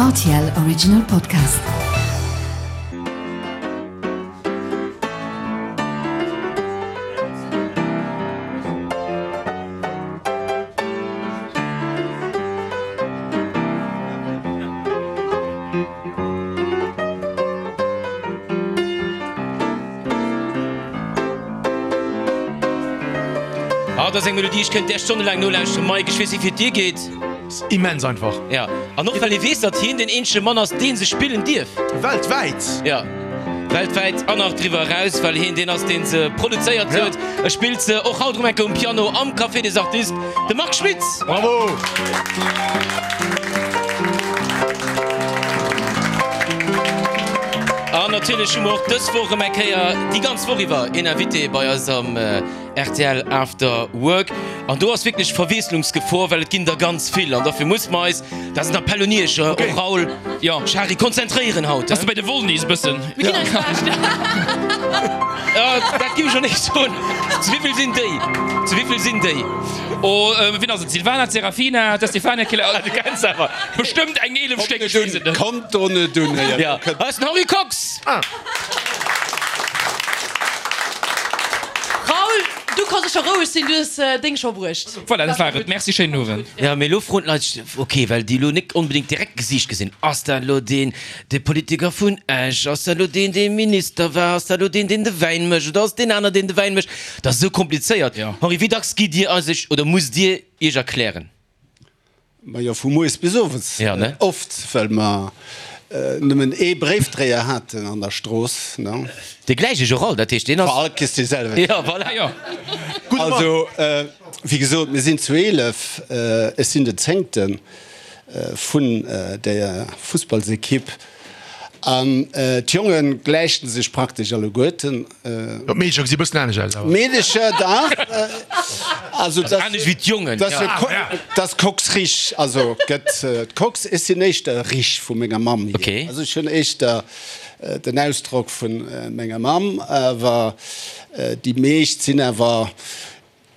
Rtl Original Podcast. Ah, dat ass eng Melodie, ech kënnt där stonnelaang nolauschteren. Mike, ech weess net, wéi et dir geet. Ass immens einfach. Ja, an och well ee weess, datt hien deen eenzege Mann ass, dee se spillen dierf. Weltwäit. Ja, weltwäit an nach driwwer eraus, well hien deen ass, dee se produzéiert huet. E spillt se och haut erëm eng Kéier um Piano am Café des Artistes, de Marc Schmitz. Bravo! An natierlech hu mer och dës Woch erëm eng Kéier déi ganz Woch iwwer een Invité bei eis am rtl After Work. An do ass wierklech Verwiesslungsgefor, well et ginn der ganz vill. An dofir muss mer eis, dat ass en Appell un Iech, och Raoul, Jo. Shari, konzentréieren haut. Ass de bei de Wollnys e bëssen? Mir ginn eist Bescht. Ja, dat giff ech och net soen. Zu wéivill sinn déi? Zu wéivill sinn déi? Oh, wien ass et? D'Silvana, d'Serafina, d'Estefania, Killer. Du kenns awer. Bestëmmt eng 11 Stéck, ech weess et net. Kommt do net un, héiert. Ja, hei ass den Henri Kox. Ah. Raoul, du kanns scho roueg sinn, du hues deng scho bruecht. Voilà, dat war et. Merci, schéinen Owend. Ja, mee elo froen d'Leit sech, ok, well déi elo net onbedéngt direkt d'Gesiicht gesinn, Ass dat elo deen, dee Politiker vun Esch? Ass dat elo deen, dee Minister war? Ass dat elo deen, deen de Wäin mécht? Oder ass et deen aner, deen de Wäin mécht? Dat ass esou komplizéiert. Henri, wéi dacks gitt Dir eis oder musst Dir Iech erklären? Majo, vu moies bis owes. Ja, ne? Oft, well mer nëmmen ee Bréifdréier haten an der Strooss, ne? Dee gläiche Gérald, dat heescht, deen ass. Vor all kriss dee selwechten. Ja, voilà. Jo. Gudde Mann. Also, wéi gesot, mir sinn zu 11, ech sinn den Zéngte vun der Fussballsekipp. An d'Jonge gläichen sech praktesch alleguerten. Jo, d'Meedecher gesi bëssen anescht aus awer. D'Meedecher, dach. Also Also anescht wéi d'Jongen, dat ja. ass Cox Rich, also gëtt d'Cox. Ech sinn éischter Rich vu menger Mamm hier. Okay. Also ech hunn éischter den Ausdrock vu menger Mamm, awer déi meescht sinn awer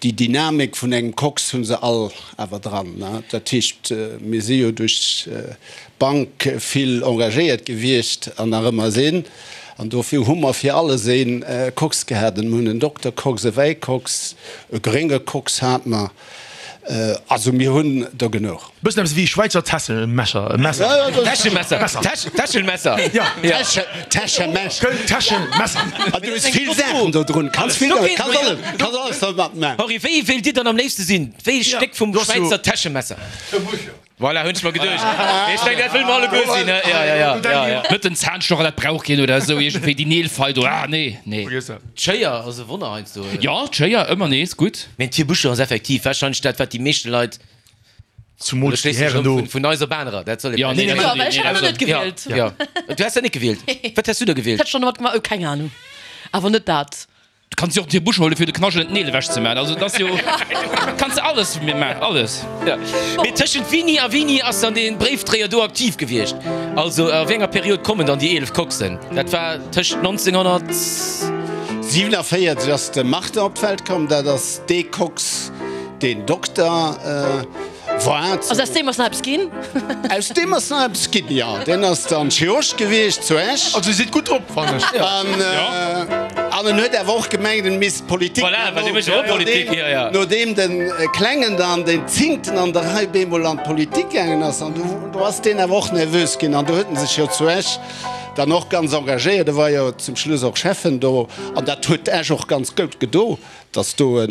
Déi Dynamik vun engem Kox hu se all awer dran. Dat heescht, mir si jo duerch d'Bank vill engagéiert gewiescht an nach ëmmer sinn. An dofir hu mer fir alles ee Kox gehat. Mir hunn en Dokter Kox, e Wäikox, e grénge Kox hate mer. Also mir hunn der genuch. Bëssen eppes wéi Schwäizer Täschemesser. Täschemesser. Täschelmesser. Ja. Täschemesser. Täschemesser. An du hues vill Saachen do drun. Kanns vill, kanns alles, kanns alles domat man. Henri, wéi wéilt Dir dann am léifste sinn? Wéi e Stéck vum Schwäizer Täschemesser? Voilà, hunn ech mer geduecht. Mee ech mengen, dat wëlle mer alleguer sinn, ne? Ja, ja, ja, ja, ja. Net den Zahnstocher, dat brauch keen oder esou iergendwéi, déi Neelfeil do, ah nee, nee. D'Schéier ass e Wonner heiansdo. Jo, d'Schéier, ëmmer nees gutt. Mee den Tierbuschel ass effektiv warscheinlech dat, wat déi meeschte Leit. Zumools déi Hären do. Vun eis op anerer, dat soll ee Ja, nee, Jo, well ech hätt dat net gewielt. Ja, du häss dat net gewielt. Wat häss du da gewielt? Hätt ech dann domat gemaach? Oh, keng Ahnung. Awer net dat. Du kanns jo och d'Tierbusch huelen, fir de Knaschelen d'Neel ewech ze maachen. Also, dat ass jo, kanns de alles maachen, alles. Ja. Mee tëschent wéini a wéini ass dann dee Bréifdréier do aktiv gewiescht? Also a wéi enger Period kommen dann déi 11 Coxen? Dat war tëscht 1900. 47 ass de Martin op d'Welt komm, dat ass dee Cox, Deen Dokter war. Also aus deem ass nach eppes ginn? Aus deem ass nach eppes ginn, jo. Deen ass dann Chirurg gewiescht zu Esch. Also Dir sidd gutt drop, fannen ech. An en huet awer och gemengt, en misst Politik Voilà, well dee mécht jo och Politik, jo, jo. Nodeem de Klengen dann, deen Zéngten an der Rei, bemol an d'Politik gaangen ass, an do ass deen awer och nervös ginn an do huet en sech jo zu Esch dann och ganz engagéiert. E war jo zum Schluss och Schäffen do an dat huet Esch och ganz goud gedo. Dass do e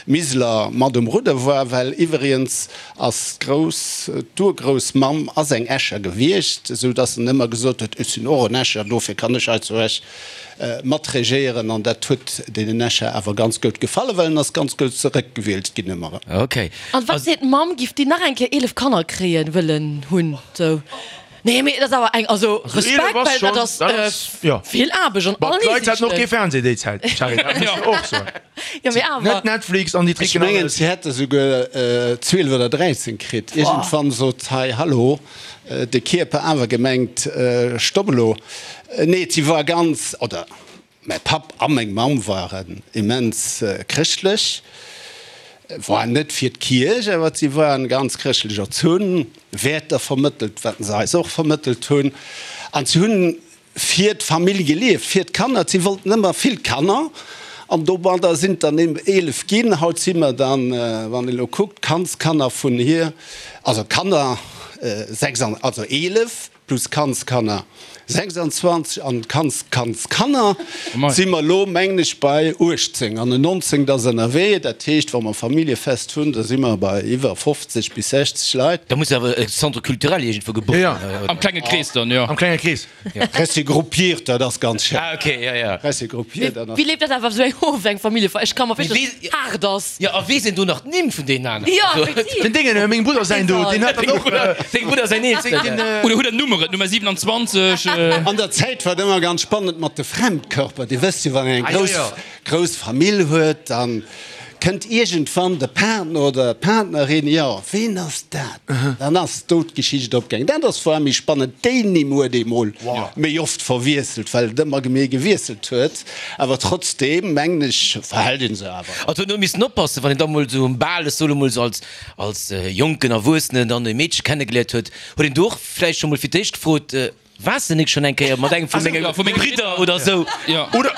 Miseler mat um Rudder war, well iwweriens ass d'Grouss, d'Urgroussmamm ass eng Escher gewiescht, esou dass en ëmmer gesot huet, ech sinn och en Escher, dofir kann ech hei zu Esch mat regéieren. An dat huet deenen Escher awer ganz goud gefallen, well en ass ganz goud zeréckgewielt ginn ëmmer erëm. Ok. An wat seet d'Mamm, giff déi nach eng Kéier 11 Kanner kréien, wëllen hunn, sou? Nee, mee et ass awer eng, also Respekt, well dat ass vill Aarbecht an all D'Leit haten och kee Fernseh déi Zäit, Charly, dat muss de och soen. Jo, mee awer. Net Netflix an déi Ech Tricken mengen, alles. si hätte souguer 12 oder 13 kritt. Iergendwann sot, Hei, hallo, de Kierper awer gemengt, stopp elo. Nee, si war ganz, oder mäi Papp a meng Mamm waren immens chrëschtlech. War net fir d'Kierch, awer si waren ganz chrëschtlech erzunn, Wäerter vermëttelt, wat se eis och vermëttelt hunn. An si hunn fir d'Famill gelieft, fir d'Kanner. Si wollten ëmmer vill Kanner an domadder sinn et dann eben 11 ginn. Haut si mer dann, wann een elo kuckt, Kandskanner vun hir, also Kanner 6 an, also 11 plus Kandskanner 26 an Kandskandskanner si mer elo, mengen ech, bei 18 an en 19 ass ënnerwee. Dat heescht, wa mer Familljefest hunn, da si mer bei iwwer 50 bis 60 Leit. Da muss awer e Centre culturel iergendwou gebucht ginn. Am klenge Krees dann, jo. Am klenge Krees. Presse gruppiert, dat ass ganz schéin. Ah, okay, ja, ja. Presse gruppiert, dat ass. Wéi leeft dat awer esou eng of, eng Familljefeier? Ech ka mer virstellen, dass et haart ass. Jo, a wee sinn do nach d'Nimm vun deenen aneren? Jo, effektiv. Den Déngen, mengem Brudder säin do, deen hat dann och. Deng Brudder säin Eelsten. Oder hutt der Nummeren, Nummer 27? An der Zäit war et ëmmer ganz spannend mat de Fremdkörper. Dir wësst jo, wann een eng grouss, grouss Famill huet, dann kënnt iergendwann de Partner oder d'Partnerin, jo, ween ass dat? Dann ass do d'Geschicht opgaangen. Dat ass vor allem méi spannend. Déi Nimm huet ee mol méi oft verwiesselt, well et ëmmer méi gewiesselt huet. Awer trotzdeem, mengen ech, verhält ee se awer. Also huet een missen oppassen, wann een da mol esou um Bal, ech soe mol esou als, als jonken Erwuessenen dann e Meedche kennegeléiert huet, huet een do och vläicht scho mol fir d'éischt gefrot, Waars de nik schon eng Kéier mat engem vu menge Bridder oder sou? Oder,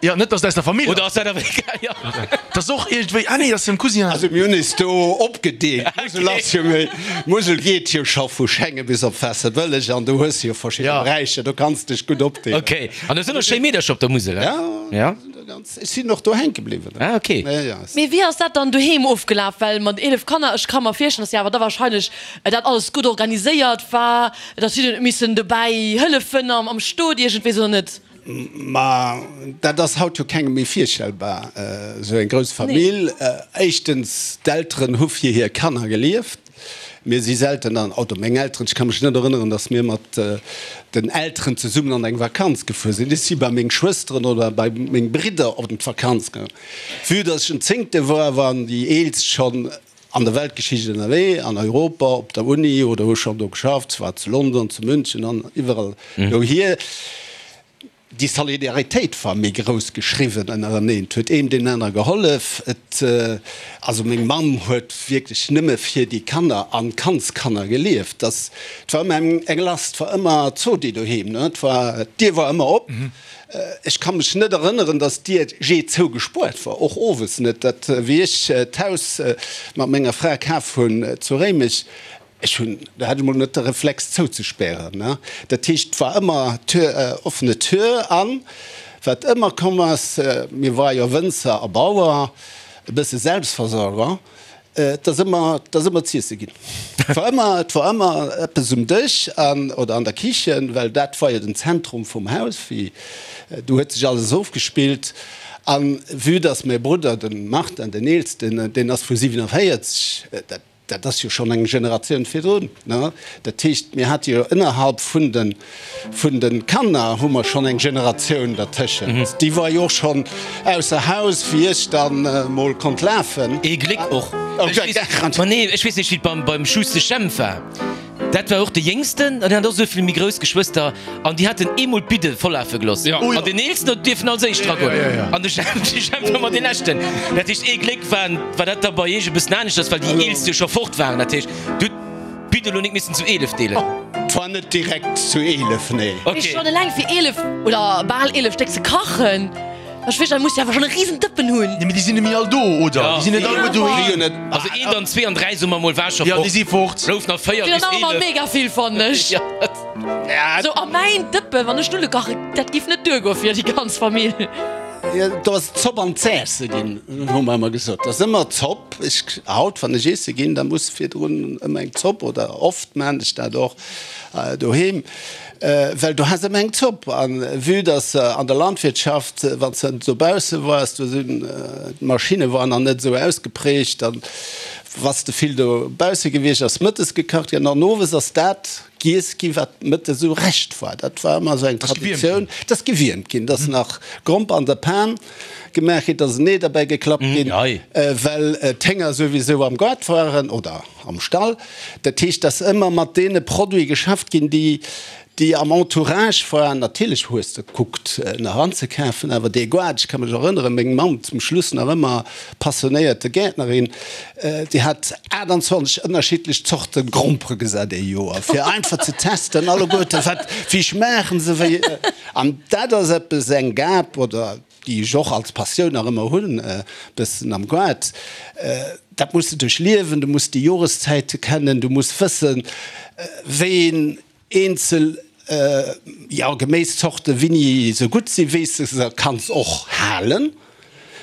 jo, net dass et aus der Famill ass. Oder ass dat awer egal, jo. Dat ass och iergendwéi, ah nee, dat ass dem Cousin. Also mir hunn eis do opgedeelt. D'Musel ass jo méi, d'Musel geet jo scho vu Schengen bis op Waasserbëlleg an do hues de jo verschidde Beräicher, do kanns de dech gutt opdeelen. Ok, an do sinn och schéi Meedercher op der Musel, he? Jo, ech sinn och do hänke bliwwen. Ah, ok. Mee wéi ass dat dann doheem ofgelaf? Well mat 11 Kanner, ech ka mer virstellen, dass Dir awer da wahrscheinlech dat alles gutt organiséiert war. Datt si huet missen dobäi hëllefen am Stot iergendwéi, oder net? Ma dat ass haut jo kengem méi virstellbar, esou eng grouss Famill. Éischtens, d'Elteren hu fir hir Kanner gelieft. Mir si selten an, oder meng Elteren, ech ka mech net erënneren, datt mir mat den Elteren zesummen an eng Vakanz gefuer sinn. Ech si bei meng Schwësteren oder bei meng Bridder op d'Vakanz gaangen. Vue datt ech den Zéngte war, waren déi Eelst schonn An der Weltgeschicht ënnerwee, an Europa, op der Uni oder hu schonn do geschafft, zwar zu London, zu München an iwwerall dohier. Déi Solidaritéit war méi grouss geschriwwen ënnereneen. Et huet een deem anere gehollef. Et, also meng Mamm huet wierklech nëmme fir déi Kanner an d'Kandskanner gelieft. Dass, et war ëmmer eng Last, et war ëmmer Zodi doheem, ne. Et war, d'Dier war ëmmer op. Ech ka mech net erënneren, dass d'Dier jee zougespuert war, och owes net. Dat, wéi ech d'Haus mat menger Fra kaf hunn zu Réimech, ech hunn, do hat ech mol net de Reflex zouzespären, ne. Dat heescht, et war ëmmer Tür, offene Tür. An wat ëmmer komm ass, mir ware jo Wënzer a Bauer, e bësse Selbstversorger, Et ass ëmmer, et ass ëmmer z'iesse ginn. Et war ëmmer, et war ëmmer eppes um Dësch an, oder an der Kichen, well dat war jo den Zentrum vum Haus, wéi, do huet sech alles ofgespillt. An vue dass mäi Brudder, de Martin, den Eelsten, deen ass vu 47, dat, dat ass jo schonn eng Generatioun virdrun, ne? Dat heescht, mir hate jo ënnerhalb vun de Vun de Kanner hu mer schonn eng Generatioun dertëschent. Déi war jo och schonn ausser Haus, wéi ech dann mol konnt lafen. Ee Gléck och. Ma nee, ech weess nicht, wéi et beim, beim Schuster Jemp war. Dat war och de Jéngsten an hien hat och esou vill méi grouss Geschwëster an déi haten eemol d'Bidde vollafe gelooss. An deen Eelsten huet dierfen als éischt dragoen an de Jemp, de Jemp war ëmmer dee Leschten. Dat heescht, ee Gléck war, war dat da bei iech e bëssen aneschters, well déi Eelst jo scho fort waren. Dat heescht, du hutt. D'Bidd elo nik missen zu 11 deelen. Zwar net direkt zu 11, nee. Mee schon eleng fir 11 oder bal 11 Stéck ze kachen, ech weess, da muss de awer schon e riesen Dëppen hunn. Nee, mee déi sinn net méi all do, oder? Déi sinn net alleguer doheem. Also eent an zwee an dräi soe mer mol war scho fort. Jo, déi si fort. Blouf nach 4 bis 11. Sinn awer nach mega vill, fannen ech. Sou a mäin Dëppen, wann ech Nuddele kachen, dat giff net duergoe fir déi ganz Famill. Do ass Zopp an Zässe ginn, hu mer ëmmer gesot. Et ass ëmmer Zopp. Ech, haut, wann ech iesse ginn, da muss virdrun ëmmer eng Zopp, oder oft maan ech dat och doheem, well do has ëmmer eng Zopp. A vue dass an der Landwirtschaft, wann s de dobausse waars, do sinn d'Maschinne waren nach net esou ausgeprägt, da waars de vill dobausse gewiescht, ass mëttes gekacht ginn an owes ass dat giess ginn, wat mëttes esou Rescht war. Dat war ëmmer esou eng Traditioun. Dat ass gewiermt ginn. Dat ass nach Gromper an der Pan. gemaach ginn, et ass en Ee derbäi geklappt ginn, well d'Hénger souwisou am Gaart waren oder am Stall. Dat heescht, dass ëmmer mat deene Produite geschafft ginn, déi déi am Entourage waren. Natierlech hues de gekuckt nach anzekafen, awer dee Gaart, ech ka mech erënneren, meng Mamm, zum Schluss nach ëmmer passionéierte Gäertnerin, déi hat 28 ënnerschiddlech Zorte Grompere gesat ee Joer, fir einfach ze testen alleguerte wat, wéi schmaachen se, wéi. An dat ass eppes, eng Gab oder déi ech och als Passioun nach ëmmer hunn, e bëssen am Gaart, dat muss de duerchliewen, du muss déi Joreszäite kennen, du muss wëssen, wéi een eenzel, jo, Geméiszorte wéini se gutt sinn, wéi s de se kanns och halen,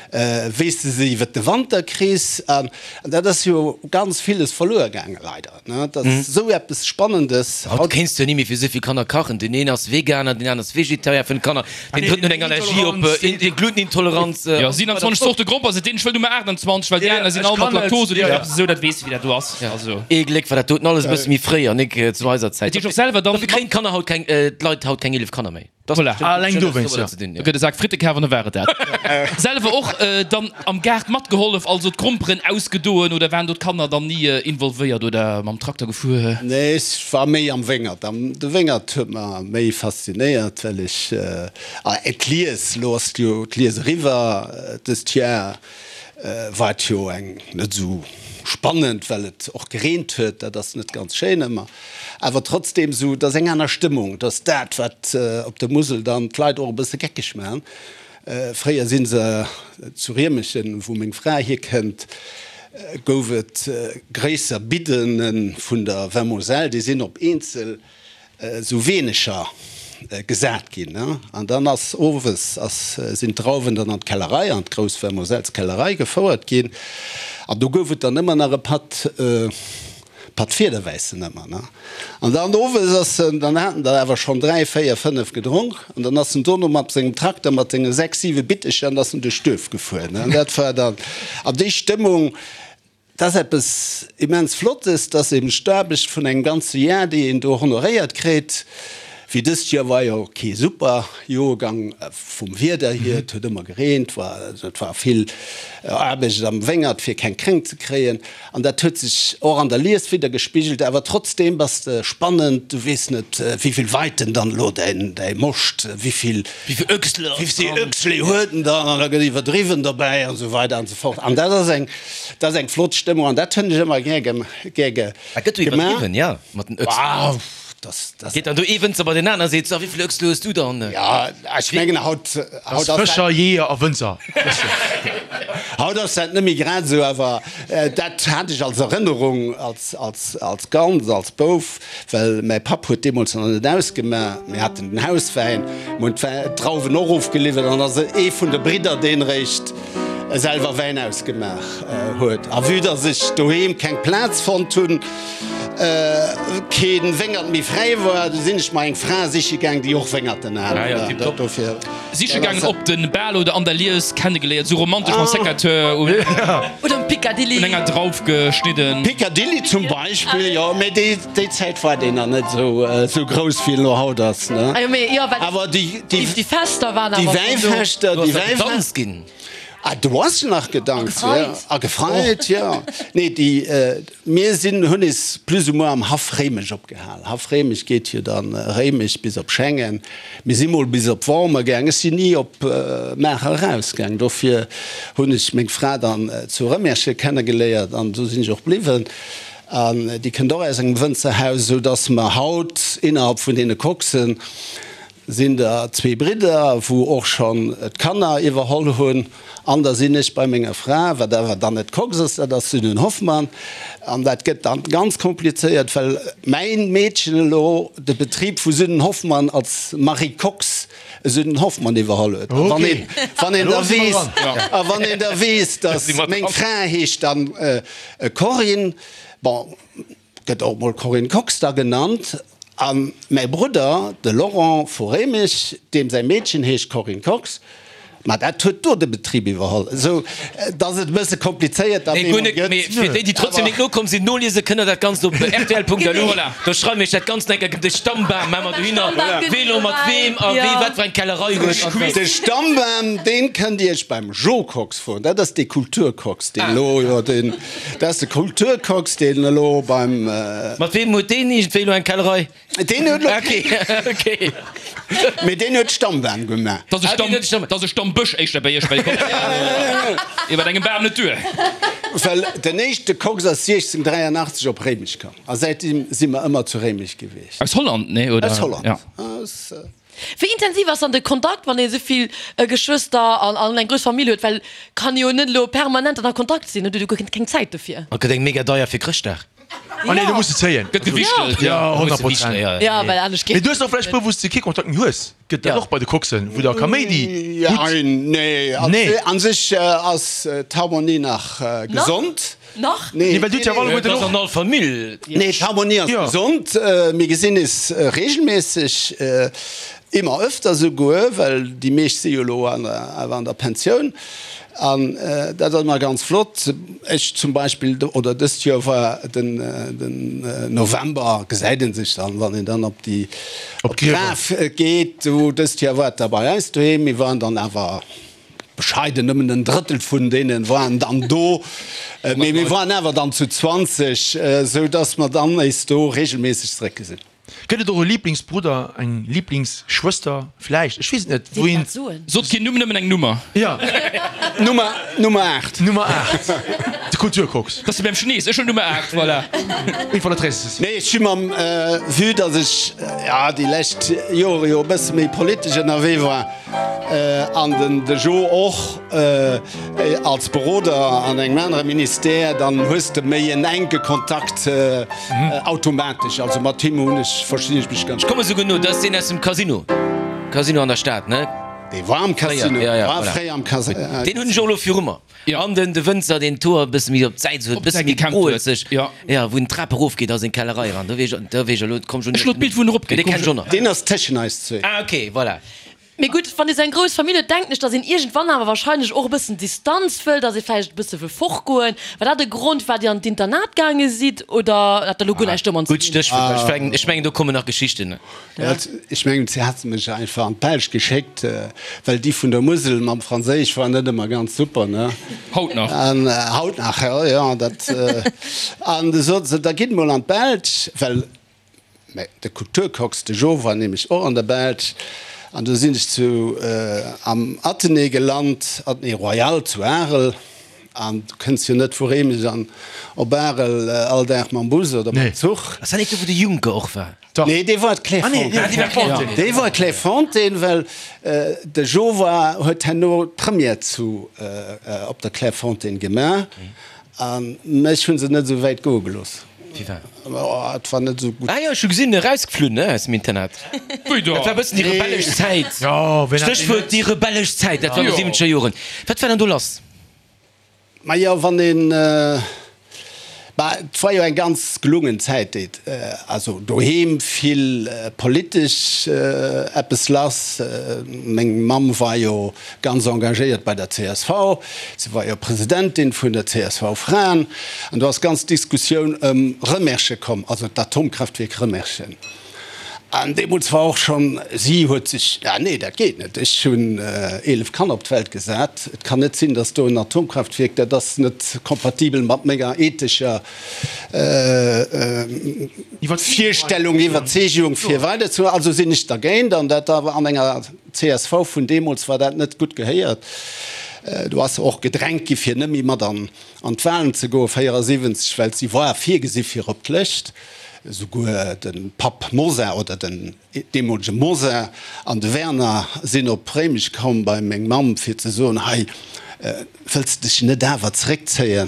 wéi s de se iwwert de Wanter kriss. An dat ass jo ganz villes verluer gaange leider, ne? Dat ass esou eppes Spannendes. Haut kéints de jo ni méi fir esou vill Kanner kachen. Deen een ass Veganer, deen aner ass Vegetarier, 5 Kanner, deen drëtten huet eng Allergie op Glutenintoleranz. Jo, 27 Zorte Gromper, seet deen, ech wëll Nummer 28, well déi aner sinn all mat Laktose oder eppes esou, dat weess de wéi dat do ass. Also. Ee Gléck war dat doten alles e bësse méi fréi an nik zu eiser Zäit. Dat heescht och selwer dann. Dofir kréien d'Kanner haut keng, d'Leit haut keng 11 Kanner méi. Voilà. Alleng dowéinst, jo. Da gëtt e Sak Fritte kaf an da war et dat. Selwer och dann am Gaart matgehollef, also d'Gromperen ausgedoen oder waren do d'Kanner dann ni involvéiert oder mam Trakter gefuer? Nee, ech war méi am Wéngert. De Wéngert huet mer méi faszinéiert, well ech, d'Lies, elo ass jo d'Lies eriwwer dëst Jar, War et jo eng net esou spannend, well et och gereent huet, dat ass net ganz schéin ëmmer, awer trotzdem esou, et ass eng aner Stëmmung, et ass dat wat op der Musel dann d'Leit och e bësse geckeg maachen. Fréier si se zu Riemechen, wou meng Fra hierkënnt, gouf et gréisser Biddene vun der Vin-Moselle, déi sinn op eenzel Esou weeneger gesat ginn. An dann ass owes ass sinn d'Drauwen dann an d'Kellerei, an d'grouss Vermoselskellerei gefouert ginn. An do gouf et dann ëmmer nach e Patt, Patt Fiederwäissen ëmmer, ne. An dann owes ass en, dann haten der awer schonn 3, 4, 5 gedronk an dann ass en dono mat sengem Trakter mat senge 6, 7 Bittecher an ass en duerch d'Duerf gefuer, ne. An dat war dann, an déi Stëmmung, Dat ass eppes immens Flottes, dass eben d'Aarbecht vun engem ganze Jar, déi een do honoréiert kritt, wéi dëst Joer war jo kee super Joergang vum Wieder hier, et huet ëmmer gereent, war, et war vill Aarbecht am Wéngert fir keng Kränkt ze kréien an dat huet sech och an der Lies widdergespigelt. Awer trotzdeem bass de spannend, du weess net wéivill weit en dann elo däin Moscht, wéivill Öchsle huet en dann an da gëtt iwwerdriwwen dobäi an esou weider an esou fort an dat ass eng Dat ass eng flott Stëmmung an dat hunn ech ëmmer gär gemaach. Dat gëtt do iwwerdriwwen, jo, mat den Öchselen. Geet dann do ee Wënzer bei deen aner a seet, So, wéi vill Öchsle hues du dann? Jo, ech mengen haut, haut ass dat. Fëscher, Jeeër a Wënzer. Haut ass dat net méi grad esou, awer dat hat ech als Erënnerung als, als, als Kand, als Bouf, well mäi Papp huet deemools nach net ausgemaach. Mir haten den Hauswäin, mir hunn d'Drauwen och ofgeliwwert an da ass ee vun de Bridder, deen eréischt selwer Wäin ausgemaach huet. A vue dass ech doheem keng Plaz fonnt hunn, kee Wéngert méi fräi war, du sinn ech mer eng Fra siche gaang, déi och Wéngerten hat. Dofir. Siche gaangen op den Bal oder an der Lies kennegeléiert, sou romantesch mam Secateur un Oder um Picadilly. Un enger Drauf geschnidden. Picadilly zum Beispill, jo, mee déi déi Zäit war deen nach net esou grouss wéi en elo haut ass, ne? Awer déi déi Fester waren awer déi Wäifester, déi Wäifester. Ginn. Ah, do ass nach gedanzt, jo. A gefreit, jo. Nee, déi, mir sinn, hunn is plus ou moins am Haff Réimech opgehal. Haff Réimech geet jo dann Réimech bis op Schengen. Mir si mol bis op Wormer gaang. Ech sinn ni op Maacher erausgaang. Dofir hunn ech meng Fra dann zu Rëmerschen kennegeléiert an do sinn ech och bliwwen. An déi kënnt och aus engem Wënzerhaus, esou dass mer haut innerhalb vun deene Coxen, Sinn der zwee Bridder, wou och schonn d'Kanner iwwerholl hunn. An da sinn ech bei menger Fra, wat awer dann net Kox ass, dat ass Sünnen Hoffmann. An dat gëtt dann ganz komplizéiert, well mäin Meedchen elo de Betrib vu Sünnen Hoffmann als Marie Kox Sünnen Hoffmann iwwerholl huet. A wann een, wann een da weess, a wann een da weess, dass meng Fra heescht dann Corinne, bon, Gëtt och mol Corinne Kox da genannt. A mäi Brudder, de Laurent vu Réimech, deem säi Meedchen heescht Corinne Kox. Ma dat huet do de Betrib iwwerholl, esou dass et e bësse komplizéiert da Nee, guer net, mee fir déi, déi trotzdem nik nokomm sinn, noliese kënnt der dat Ganzt op rtl.lu. Voilà. Do schreiwe mir iech dat Ganzt nach eng Kéier, de Stammbam maache mer dohinner, Voilà. wee lo mat weem a wee wat fir eng Kellerei huet an De Stammbam, deen kënnt Dir iech beim Jo Kox froen. Dat ass dee Kulturkox, deen elo jo deen, dat ass de Kulturkox, deen elo beim. Mat weem huet deen iergendwéi elo eng Kellerei? Deen huet lo Okay, okay. Mee deen huet d'Stammbam gemaach. Dass e Ah, Stamm, deen huet d'Stamm- dass e Stammbësch éischter bei iech, well kommt iwwer engem Bam net duer. Well den éischte Kox ass 1683 op Réimech komm a säitdeem si mer ëmmer zu Réimech gewiescht. Aus Holland, nee, oder? Aus Holland. Ja. Aus. Wéi intensiv ass dann de Kontakt, wann ee souvill Geschwëster an an eng grouss Famill huet? Well kann ee jo net elo permanent dann a Kontakt sinn, huet jo guer keng Zäit dofir. A gëtt engem mega deier fir Chrëschtdag. Ah nee, do muss de zéien. Gëtt gewichtelt, Ja, ja. 100 Prozent. Ja, well anescht Mee geet du hues och vläicht puer, wou s de kee Kontakt méi hues. Gëtt dat och bei de Coxen, wou der Kaméidi hutt? Nee, Nee. an sech ass d'Harmonie nach gesond. Nach? Nee, well du hutt jo alleguerten Dat ass och. an all Famill. Nee, d'Harmonie ass Ja. gesond. Mir gesinn is regelméisseg, ëmmer öfter souguer, well déi meescht si jo elo awer an der Pensioun. An dat ass ëmmer ganz flott. Ech zum Beispill, oder dëst Joer war den November, gesäit ee sech dann, wann een dann op déi, op d'Graf geet. Do dëst Joer war et da bei eis doheem. Mir waren dann awer bescheiden, nëmmen en Drëttel vun deene waren dann do. Mee mir waren awer dann zu 20, esou dass mer dann éis do regelméisseg zeréckgesinn. Gëtt et och e Liblingsbrudder, eng Liblingsschwëster vläicht, ech weess et net, wou een. Sot keen Numm, nëmmen eng Nummer. Jo. Nummer, Nummer 8. Nummer 8, de Kulturkox. Dat ass wéi beim Chinees, ech hunn Nummer 8, voilà. Une fois la treize. Nee, ech hu mam, vue dass ech, ja, déi lescht Jore jo e bësse méi politesch ënnerwee war, An den de Jo och als Beroder an engem anere Ministère, dann hues de méi en enke Kontakt automatesch. Also mat him hunn ech, verstinn ech mech ganz Ech gutt. komme souguer no, dat ass deen aus dem Casino, Casino an der Stad, ne? Dee war am Casino, Fréier, ja, ja, war voilà. fréier am Casino. Deen hunn ech och elo viru mer. Ja. An den de Wënzer, deen d'Hoer e bësse méi op d'Säit huet, Op bësse d'Säit méi gekämmt huet, groelzeg, ja. ja, wou en d'Trap erofgeet a seng Kellerei eran, do weess ech, do weess ech elo, komm ech Ech elo d'Bild wou en eropgeet, Dee komm kenn ech ech och nach. Deen ass tëschen eis zwee. Ah, ok, voilà. Mee gutt, wann ee sou eng grouss Famill huet, denken ech, datt een iergendwann awer wahrscheinlech och e bëssen Distanz wëll, datt ee vläicht e bësse wëll fortgoen. War dat e Grond, firwat Dir an d'Internat gaange sidd oder hat dat elo guer näischt domat ze Gutt dinn? Stéchwuert, well ech mengen, ech mengen, do kommen nach Geschichten. Ech mengen, si hate mech einfach an d'Belsch geschéckt, well déi vun der Musel mam Franséisch war net ëmmer ganz super, ne? Haut nach. An haut nach, jo, jo, dat. An du sot se, da gitt mol an d'Belsch, well mä de Kulturkox, de Jo, war nämlech och an der Belsch. An du sinn ech zu am Athenée gelant, Athenée Royal zu Arel. An du kënns jo net vu Réimech an op Arel all Dag mam Bus oder mam Zuch. Ass dat net do, wou de Juncker och war? Nee, dee war Clairefontaine. Dee war Clairefontaine, well de Jo war, huet herno d'Première zu op der Clairefontaine gemaach. A mech hu se net esou wäit goe gelooss. Firwat? Oh, et war net esou gutt. Ah jo, ech hu gesinn, erausgeflunn, ne, aus dem Internat. Wéi da? Dat war e bëssen déi rebellesch Zäit. Jo, ween hat déi net? Stéchwuert, déi rebellesch Zäit, dat war an de siwwenzeger Joren. Wat war dann do lass? Majo, wann een, bah, et war jo eng ganz gelungen Zäit, déi, also doheem vill politesch eppes lass. Meng Mamm war jo ganz engagéiert bei der csv, si war jo Presidentin vun der CSV-Fraen, an do ass ganz d'Diskussioun ëm Remerschen komm, also d'Atomkraftwierk Remerschen. An deemools war och schonn, si huet sech, ah nee, dat geet net, ech hunn 11 Kanner op d'Welt gesat, et kann net sinn, datt do en Atomkraftwierk, dat ass net kompatibel mat menger ethescher Virstellung, Iwwerzeegung fir weider ze, also sinn ech dergéint. An dat awer an enger csv vun deemools war dat net gutt gehéiert. Do ass se och gedrängt gi fir net méi mat an d'Wahlen ze goen, 74, well si war virgesi fir op d'Lëscht. Esouguer de Papp Mosar oder den deemolege Mosar an de Werner sinn op Réimech komm bei meng Mamm fir ze soen, Hei, wëlls de dech net awer zeréckzéien?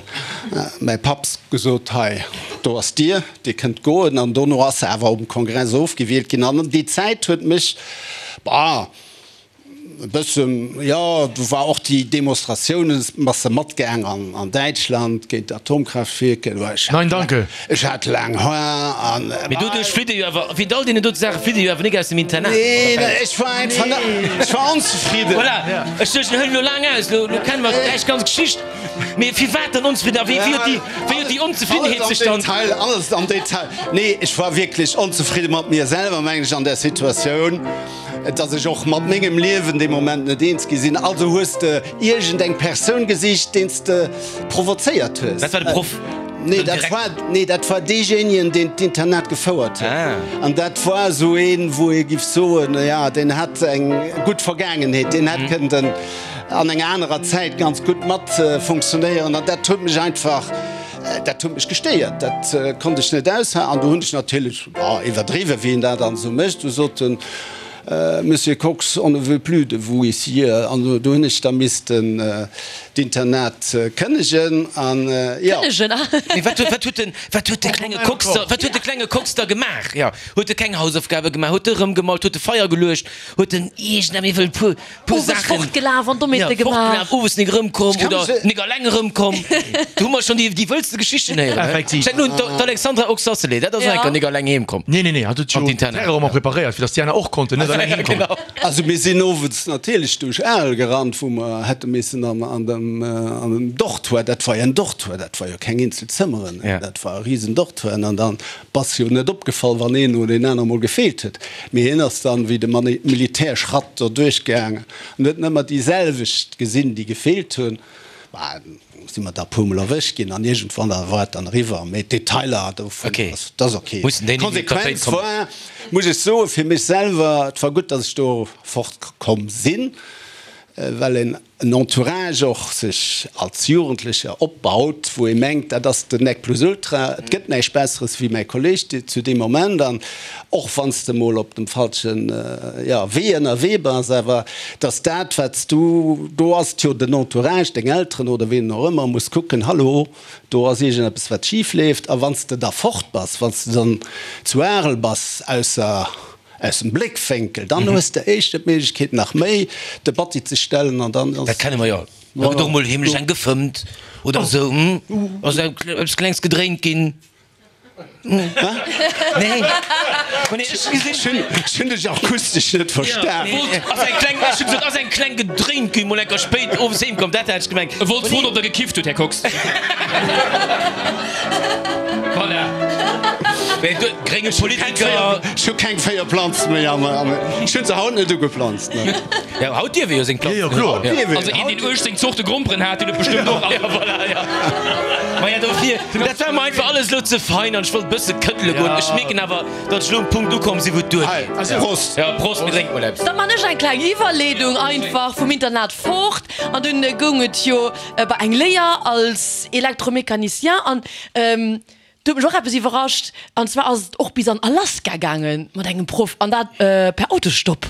Mäi Papp gesot, Hei, do ass d'Dier, dir kënnt goen. An dono ass se awer um Kongress ofgewielt ginn. An déi Zäit huet mech, bah. E bëssen, jo. Do war och déi Demonstratiounen, bass de matgaang an Däitschland géint d'Atomkraaftwierker. Nein danke. Ech hat laang Hoer an. Mee doduerch flitt e jo awer, wéint all deenen dote Saache flitt e jo awer nik aus dem Internat. Nee, ech war einfach net, ech war onzefridden. Voilà, ech duecht, hëlt elo laang aus, elo kenne mer däich ganz Geschicht. Mee firwat dann onzefridden a wéi huet déi, wéi huet déi Onzefriddenheet sech dann. Alles am Detail, alles am Detail. Nee, ech war wierklech onzefridde mat mir selwer, mengen ech, an där Situatioun, dass ech och mat mengem Liewen dee Moment net eens gi sinn. Also hues de iergend eng Persoun gesicht, deen s de provozéiert hues. Dat war de Proff? Nee, dat war, nee, dat war deejéinegen, deen d'Internat gefouert huet. An dat war esou een, wou ee giff soen, jo, deen hat eng gutt Vergaangenheet, deen hätt kënnten an enger anerer Zäit ganz gutt mat funktionéieren an dat huet mech einfach, dat huet mech gestéiert, dat konnt ech net aushalen an do hunn ech natierlech, bon, iwwerdriwwen, wéi een dat dann esou mécht, du sot den Monsieur Kox, on ne veut plus de vous ici an do hunn ech da missten d'Internat kënnegen an jo. Kënnegen, ah. Mee wat huet, wat huet den, wat huet de klenge Kox da, wat huet de klenge Kox da gemaach? Jo, huet e keng Hausaufgabe gemaach, huet e erëmgemalt, huet e Feier geluecht, huet en iergendem ewell puer. puer Owes Saachen. Fortgelaf an Dommheete Ja, gemaach. fortgelaf, owes nik erëmkomm kann oder mech- nik alleng erëmkomm. Do hu mer schonn déi, déi wëllste Geschichten héieren. hä? Effektiv. Ech denken un d'Alexandra Oxacelay, dat ass Ja. enker nik alleng heem komm. Nee, nee, nee, hat huet jo An d'Internat. d'Terrain ëmmer preparéiert, fir datt déi aner och konnten net alleng heem kommen. Genau. Also mir sinn owes natierlech duerch Arel gerannt, wou mer hätte missen an, an dem, an dem Dortoir, dat war jo en Dortoir, dat war jo keng eenzel Zëmmeren, Ja. dat war e risen Dortoir an dann Bass jo net opgefall, wann een oder een aner mol gefeelt huet. Mee hien ass dann wéi de Militärschratt do duerchgaangen an huet nëmmer déi selwecht gesinn, déi gefeelt hunn. Bah, si mer da puer mol erwëscht ginn an iergendwann da war et dann eriwwer. Mee d'Detailer dovun, dat ass ok. D'Konsequenz war, muss ech soen, fir mech selwer, et war gutt, datt ech do fortkomm sinn, well een en Entourage och sech als Jugendlecher opbaut, wou ee mengt, dat ass den Nec plus ultra, et gëtt näischt Besseres wéi mäi Kolleg zu deem Moment. An och wann s de mol op dem falschen, jo, Wee ënnerwee bass, awer dass dat, wat s du, do ass et jo den Entourage, deng Elteren oder wien och ëmmer, muss kucken, hallo, do ass iergendeppes, wat schif leeft. A wann s de da fort bass, wann s de dann zu Arel bass, ausser Aus dem Bléckwénkel, dann hues de éischter d'Méiglechkeet nach méi de Batti ze stellen an dann ass. Dat kenne mer jo. Da gëtt och mol heemlech eng gefëmmt oder esou, hm? Ass eppes Klengs gedréint ginn? Nee? Ech hunn dech akustesch net verstan. Ass eng kleng, ech hu gesot, ass eng kleng gedréint ginn, mol enker spéit owes heem komm, dat hat ech gemengt. E wollt froen, ob Der gekifft hutt, Här Kox. Voilà. Mee du, grénge Politiker. Ech hu keng 4 Planze méi am, ech hunn se haut net ugeplanzt. Jo, haut dierf ee jo seng Planzen. Jo, jo, kloer. Dierf een. Also een, deen 18 Zorte Gromperen hat, deen huet bestëmmt och all. Ja, voilà, ja. Maja, dofir, dat war mer einfach alles elo ze fein an ech wollt e bësse këddele goen. Ech mierken awer, datt ech elo um Punkt ukomm sinn, wou et duergeet. Hei, Prost! Ja, Prost, mir drénke mol eppes. Da man ech eng kleng Iwwerleedung einfach vum Internat fort an dunn goung et jo bei eng Léier als Elektromecanicien an do huet mech och eppes iwwerrascht an zwar ass et och bis an Alaska gaange mat engem Proff an dat per Autostopp.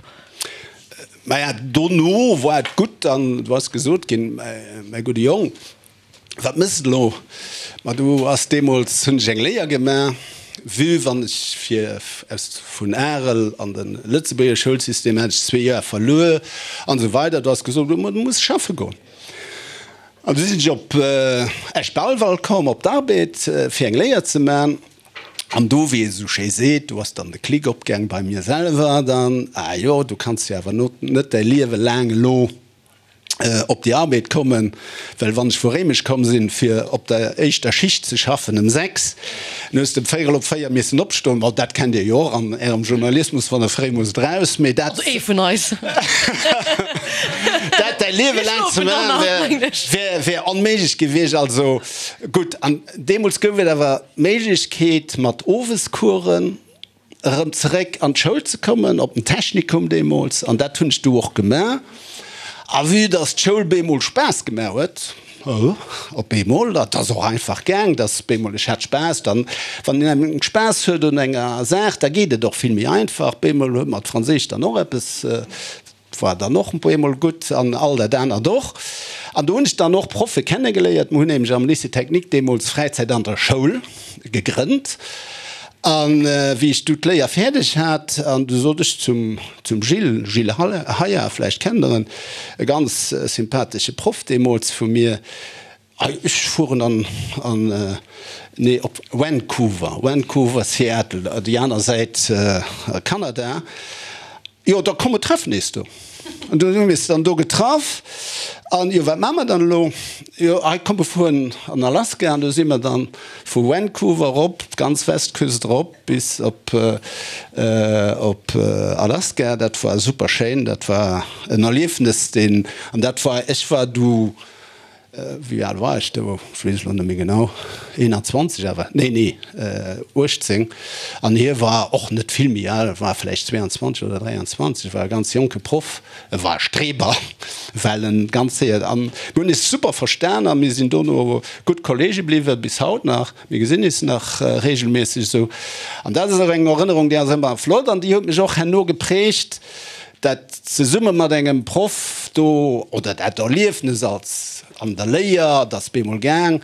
Maja, dono war et gutt an du ass gesot ginn, mäi gudde Jong, wat mëss de elo? Ma du ass deemools, hunn ech eng Léier gemaach, vue wann ech fir aus vun Arel an de Lëtzebuerger Schoulsystem hat ech zwee Joer verluer an esou weider. Du ass gesot ginn, ma du muss schaffe goen. An du sinn ech op Esch-Belval komm op d'Arbed fir eng Léier ze man. An do, wéi ee sou schéi seet, do ass dann de Klick opgaang bei mir selwer dann, ah jo, du kanns jo awer net däi Liewe laang elo op déi Arbed kommen, well wann ech vu Réimech komm sinn, fir op der éischter Schicht ze schaffen ëm 6, dann hues de ëm véierel op 4 missen opstoen. Bon, dat kennt Dir jo och an Ärem Journalismus, wann Der fréi musst raus, mee dat. Also ee vun eis. Dat däi Liewe laang ze maachen, wär, wär onméiglech gewiescht. Also gutt, an deemools gouf et awer d'Méiglechkeet mat Owescoursen erëm zeréck an d'Schoul ze kommen, op den Technikum deemools, an dat hunn ech du och gemaach. A vue dass d'Schoul bemol Spaass gemaach huet, op eemol, dat ass och einfach gaang, dass bemol, ech hat Spaass, dann, wann een engem Spaass huet un enger Saach, da geet et och vill méi einfach. Bemol huet mer d'Franséisch dann och eppes, war dann och bemol gutt an all dat anert och. An do hunn ech dann och Proffe kennegeléiert. Mer hunn nämlech am Lycée technique deemools Fräizäit an der Schoul gegrënnt. An wéi ech du d'Léier fäerdeg hat, an du sot ech zum, zum Gilles, Gilles Heyer, vläicht kennt Der en, e ganz sympathesche Proff deemools vu mir, Ei, ech fueren an, an, nee, op Vancouver, Vancouver, Seattle, déi aner Säit, Kanada. Jo, da komm, mer treffen eis do. An du hu mir eis dann do getraff. An jo, wat maache mer dann elo? Jo, hei komm, mer fueren an Alaska. An du si mer dann vu Vancouver erop, d'ganz Westküst erop bis op, op Alaska. Dat war super schéin. Dat war en Erliefnes, deen, an dat war, ech war du Wéi al war ech do? Ech weess et elo net méi genau. 21 awer? Nee, nee, 18. An hie war och net vill méi al, war vläicht 22 oder 23, war e ganz jonke Proff. E war e Streber, well en ganz séier, an mir hunn eis super verstan a mir sinn dono gutt Kollege bliwwen, bis haut nach. Mir gesinn eis nach reegelméisseg esou. An dat ass och eng Erënnerung, déi ass ëmmer flott an déi huet mech och herno geprägt. Dat zesumme mat engem Proff do, oder dat Erliefnes als an der Léier, et ass bemol gaang,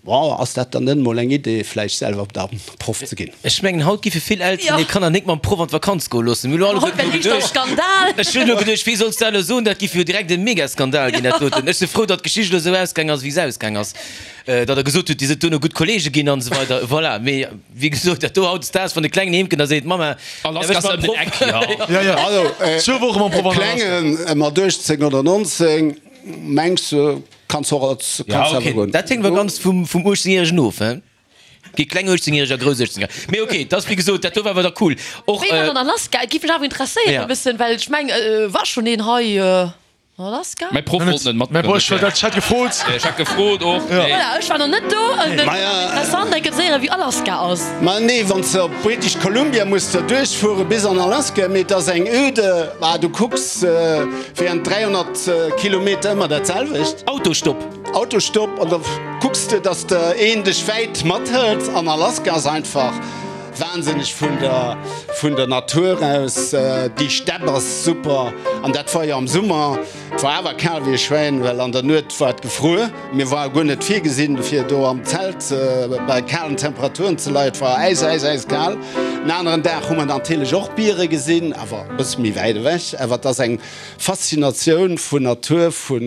bon, ass dat dann net mol eng Idee, vläicht selwer da Proff ze ginn? Ech mengen, haut giffe vill Elteren hir Kanner nik mam Proff an d'Vakanz goe loossen. Mir hu elo Haut wär alleguerten liichter geduecht, Skandal. ech hunn elo geduecht, wéi solls du dat elo soen, dat giff jo direkt e Megaskandal ginn, dat doten. Ech si frou, datt d'Geschicht elo esou ausgaang ass, wéi se ausgaang ass, datt Der gesot hutt, Dir sidd duerno gutt Kollege ginn an esou weider. Voilà, mee. Wéi gesot, dat do hautdesdaags, wann de Klengen heem kënnt a seet, Mamma, Alaska ass ëm den Eck, jo. Ja, ja. Also, Zwou Woche mam e Proff an Alaska. Klengen mat 18 oder 19, mengs de, kanns och als, Ja, kanns awer okay, goen. dat héngt awer ganz vum, vum 18-Järegen of, he? Gi kleng 18-Järeger a grouss 18-Järeger. Mee okay, dat ass wéi gesot, dat do war awer da cool. Och, Wéi war dann Alaska? Et géif mech awer interesséieren Ja. e bëssen, well ech meng, war schonn een hei? Alaska? Mäi Proff wollt net Mäi Proff, ech hat gefrot. Ech hat gefrot och. Voilà, ech war nach net do. Et wier interessant eng Kéier ze héieren, wéi Alaska ass. Ma nee, wann s de op British Columbia muss de duerchfuere bis an Alaska, mee et ass eng öde, ah du kucks während 300 Kilometer ëmmer dat selwecht. Autostopp. Autostopp an da kucks de, dass de een dech wäit mathëlt an Alaska ass einfach Wahnsinneg vun der vun der Natur aus, déi Stepp ass super an dat war jo am Summer, et war awer kal wéi e Schwäin, well an der Nuet war et gefruer. Mir war guer net virgesinn fir do am Zelt bei kalen Temperaturen ze leien, et war äis äis äiskal. En aneren Dag hu mer natierlech och Biere gesinn, awer e bësse méi wäit ewech, awer et ass eng Faszinatioun vun Natur, vu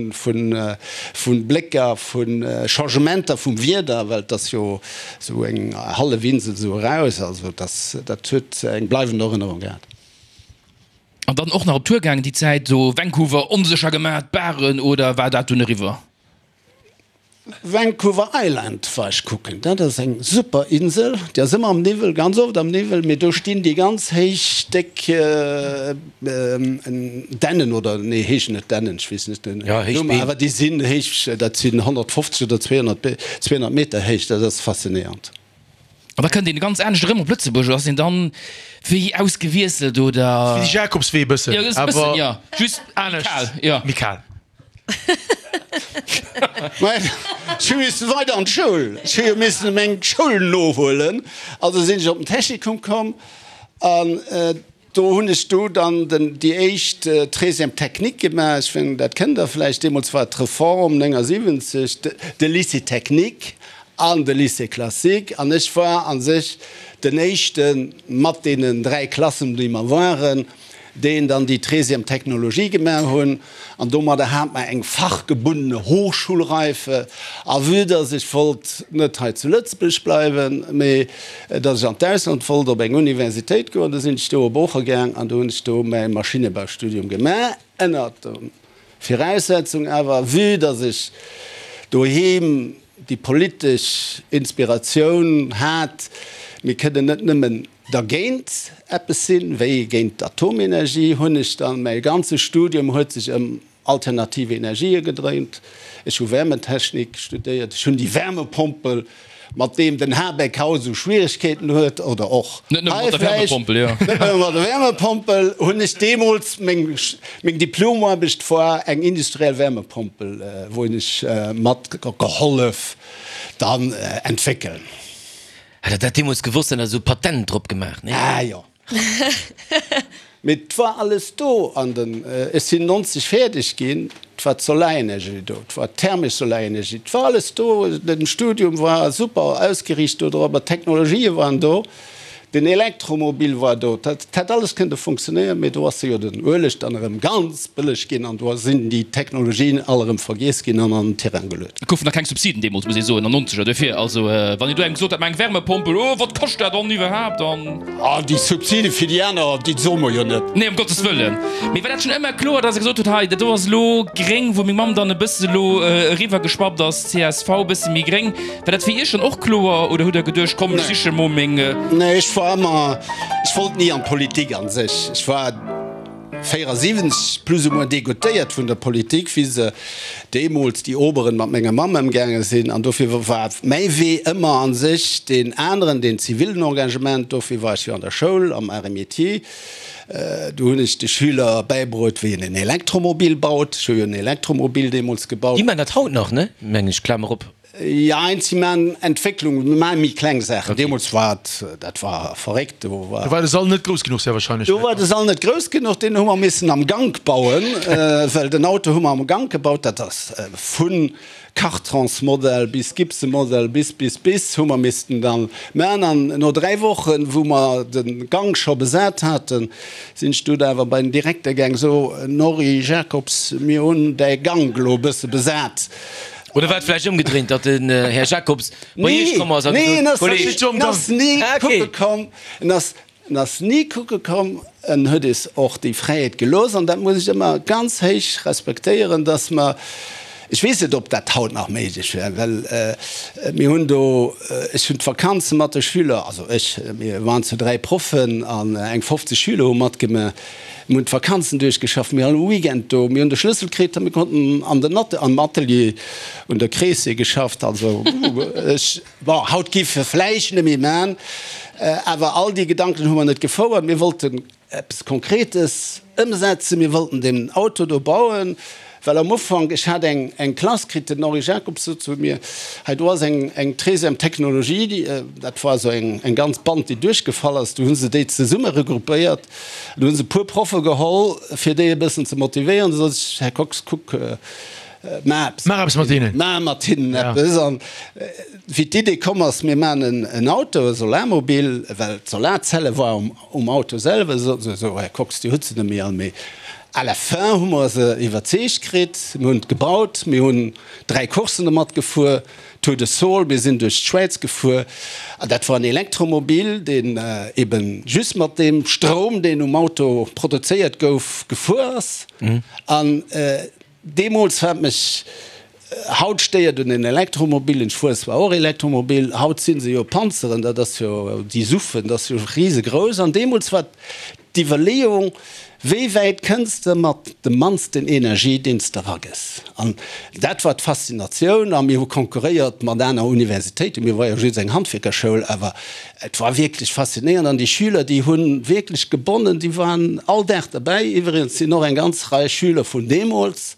Blécker, vu Changementer vum Wieder, well et ass jo esou eng hallef Insel esou eraus, also dat huet eng bleiwend Erënnerung gehat. An dann och nach op Tour gaangen déi Zäit, esou Vancouver onsécher gemaach, d'Baren, oder war dat dunn eriwwer? Vancouver Island war ech kucken, dat ass eng super Insel, déi ass ëmmer am Niwwel, ganz oft am Niwwel, mee do stinn déi ganz héich déck Dännen, oder nee heeschen net Dännen, ech weess net den Numm, awer déi sinn héich, dat sinn 150 oder 200 200 Meter héich, dat ass faszinéierend. An da kënnt een ganz anescht erëm op Lëtzebuerg, oder ass een dann wéi ausgewiesselt, oder? Wéi de Jakobswee e bëssen, Jo, e bëssen, jo, just anescht, kal, jo. Méi kal. Mä ech hu missen weider an d'Schoul, ech hu jo missen meng Schoul nohuelen, also sinn ech op den Technikum komm an Do hunn ech do dann den, déi éischt Treizième technique gemaach. Ech mengen, dat kennt Der vläicht. Deemools war d'Reform 79, de Lycée technique an de Lycée classique. An ech war a sech den éischte mat deenen dräi Klassen, déi mer waren, deen dann déi Treizième technologie gemaach hunn. An domadder hat mer eng fachgebundene Hochschulreife. A vue dass ech wollt net hei zu Lëtzebuerg bleiwen, mee dass ech an d'Ausland wollt op eng Universitéit goen, du sinn ech do op Ooche gaang an do hunn ech do mäi Maschinebaustudium gemaach, ënnert der Viraussetzung awer, vue dass ech doheem déi politesch Inspiratioun hat, mir kënnen net nëmmen dergéint eppes sinn, wéi géint d'Atomenergie, hunn ech dann, mäi ganze Studium huet sech ëm alternativ Energië gedréint. Ech hu Wärmetechnik studéiert, ech hunn déi Wärmepompel, mat deem den Habeck haut esou Schwieregkeeten huet, oder och Net nëmme hei mat der vläicht, Wärmepompel, jo. net nëmme mat der Wärmepompel, hunn ech deemools, meng, meng Diplomaarbecht war eng industriell Wärmepompel, wou hunn ech mat gehollef dann entwéckeln. Hätt der dat deemools gewosst, hätt der esou Patent drop gemaach, nee? Ah jo. Mee 't war alles do an den, ech sinn 90 fäerdeg ginn, 't war d'Solarenergie do, 't war d'thermesch Solarenergie, 't war alles do, den Studium war super ausgeriicht do drop, d'Technologië waren do. Den Elektromobil war do, dat hätt alles kënnte funktionéieren, mee do ass jo den Ueleg dann erëm ganz bëlleg ginn an do sinn déi Technologien all erëm vergiess ginn an an den Tirang geluet. Et goufen nach keng Subsiden deemools, muss ee soen, an nonzeger. Duerfir, also wann een do engem gesot hätt, ma eng Wärmepompel, oh wat kascht dat dann iwwerhaapt an. Ah, déi Subside fir déi aner, déi soe mer jo net. Nee, ëm Gottes Wëllen. Mee war dat schonn ëmmer kloer, datt Der gesot hutt, hei dat do ass elo gréng, wou meng Mamm dann e bësse elo eriwwergeschwappt ass, csv, e bësse méi gréng. War dat fir Iech dann och kloer oder hutt Der geduecht, komm ech siche mol meng. Nee, ech war ëmmer, ech wollt ni an d'Politik an sech. Ech war 74 plus ou moins degoutéiert vun der Politik, wéi se deemools, déi Oberen, mat menger Mamm ëmgaange sinn. An dofir war mäi Wee ëmmer an sech deen aneren, deen zivilen Engagement. Dofir war ech jo an der Schoul, am Arts et Métiers. Do hunn ech de Schüler bäibruet, wéi een en Elektromobil baut. Ech hu jo en Elektromobil deemools gebaut. Déi man dat haut nach, ne? Mengen ech, Klamer op. Jein, si maan Entwécklung, mir maan méi kleng Saachen. Deemols war et, dat war verréckt, do war. Do war de Sall net grouss genuch sehr wahrscheinlech. Do war de Sall net grouss genuch, deen hu mer missen am Gank bauen, well den Auto hu mer am Gank gebaut. Dat ass vu Cartronsmodell bis Gibson-Modell bis, bis, bis hu mer missten dann maan. An no 3 Wochen, wou mer de Gank scho besat haten, sinn ech dunn awer bei den Direkter gaang, so Norry Jacobs, mir hunn däi Gank elo e bësse besat. Oder war et vläicht ëmgedréint, datt den Här Jacobs bei Iech komm ass a gesot huet, Kolleg. En ass ni kucke komm, en ass, en ass ni kucke komm, en huet eis och déi Fräiheet gelooss an dat muss ech ëmmer ganz héich respektéieren, datt mer, ech weess net, ob dat haut nach méiglech wär, well mir hunn do, ech hunn d'Vakanze mat de Schüler, also ech, mir waren zu 3 Proffen an eng 50 Schüler hu matgemaach, Mir hunn d'Vakanzen duerchgeschafft, mir all Weekend do, mir hunn de Schlëssel kritt a mir konnten an den am Atelier un der Kreessee geschafft. Also ech, bon, haut giff e vläicht net méi man, awer all déi Gedanken hu mer net gefouert. Mir wollten eppes Konkretes ëmsetzen, mir wollten deen Auto do bauen. Well am Ufank, ech hat eng eng Klass kritt, den Henri Jacobs sot zu mir, hei do ass eng eng treizième Technologie, déi, dat war esou eng eng ganz Band, déi duerchgefall ass, du hu se déi zesumme regroupéiert, du hu se e puer Proffe geholl, fir déi e bëssen ze motivéieren. Du sot ech, Här Kox, kuck, maach eppes Maach eppes mat hinnen. Maach mat hinnen eppes. An wéi d'Idee komm ass, mir maachen en en Auto, e Solarmobil, well d'Solarzelle war um Um Auto selwer soten se esou, Här Kox, Dir hutt se net méi all. Mee à la fin hu mer se iwwerzeegt kritt. Mir hunn et gebaut, mir hunn 3 Courssen domat gefuer, Tour de Saul, mir sinn duerch d'Schwäiz gefuer. An dat war en Elektromobil, deen eben just mat deem Stroum, deen um Auto produzéiert gouf, gefuer ass. An Deemools wat mech haut stéiert un den Elektromobilen, ech fuere zwar och Elektromobil, haut si se jo Panzeren, dat ass jo, déi Suffen, dat ass jo risegrouss. An deemools war d'Iwwerleeung, wéi wäit kënns de mat dem mannsten Energie, deen s de eragëss? An dat war d'Faszinatioun. A mir hu konkurréiert mat aner Universitéiten, mir war jo just eng Handwierkerschoul, awer Et war wierklech faszinéierend an déi Schüler, déi hu wierklech gebonnen, déi waren all Dag derbäi. Iwwregens sinn och eng ganz Rei Schüler vun deemools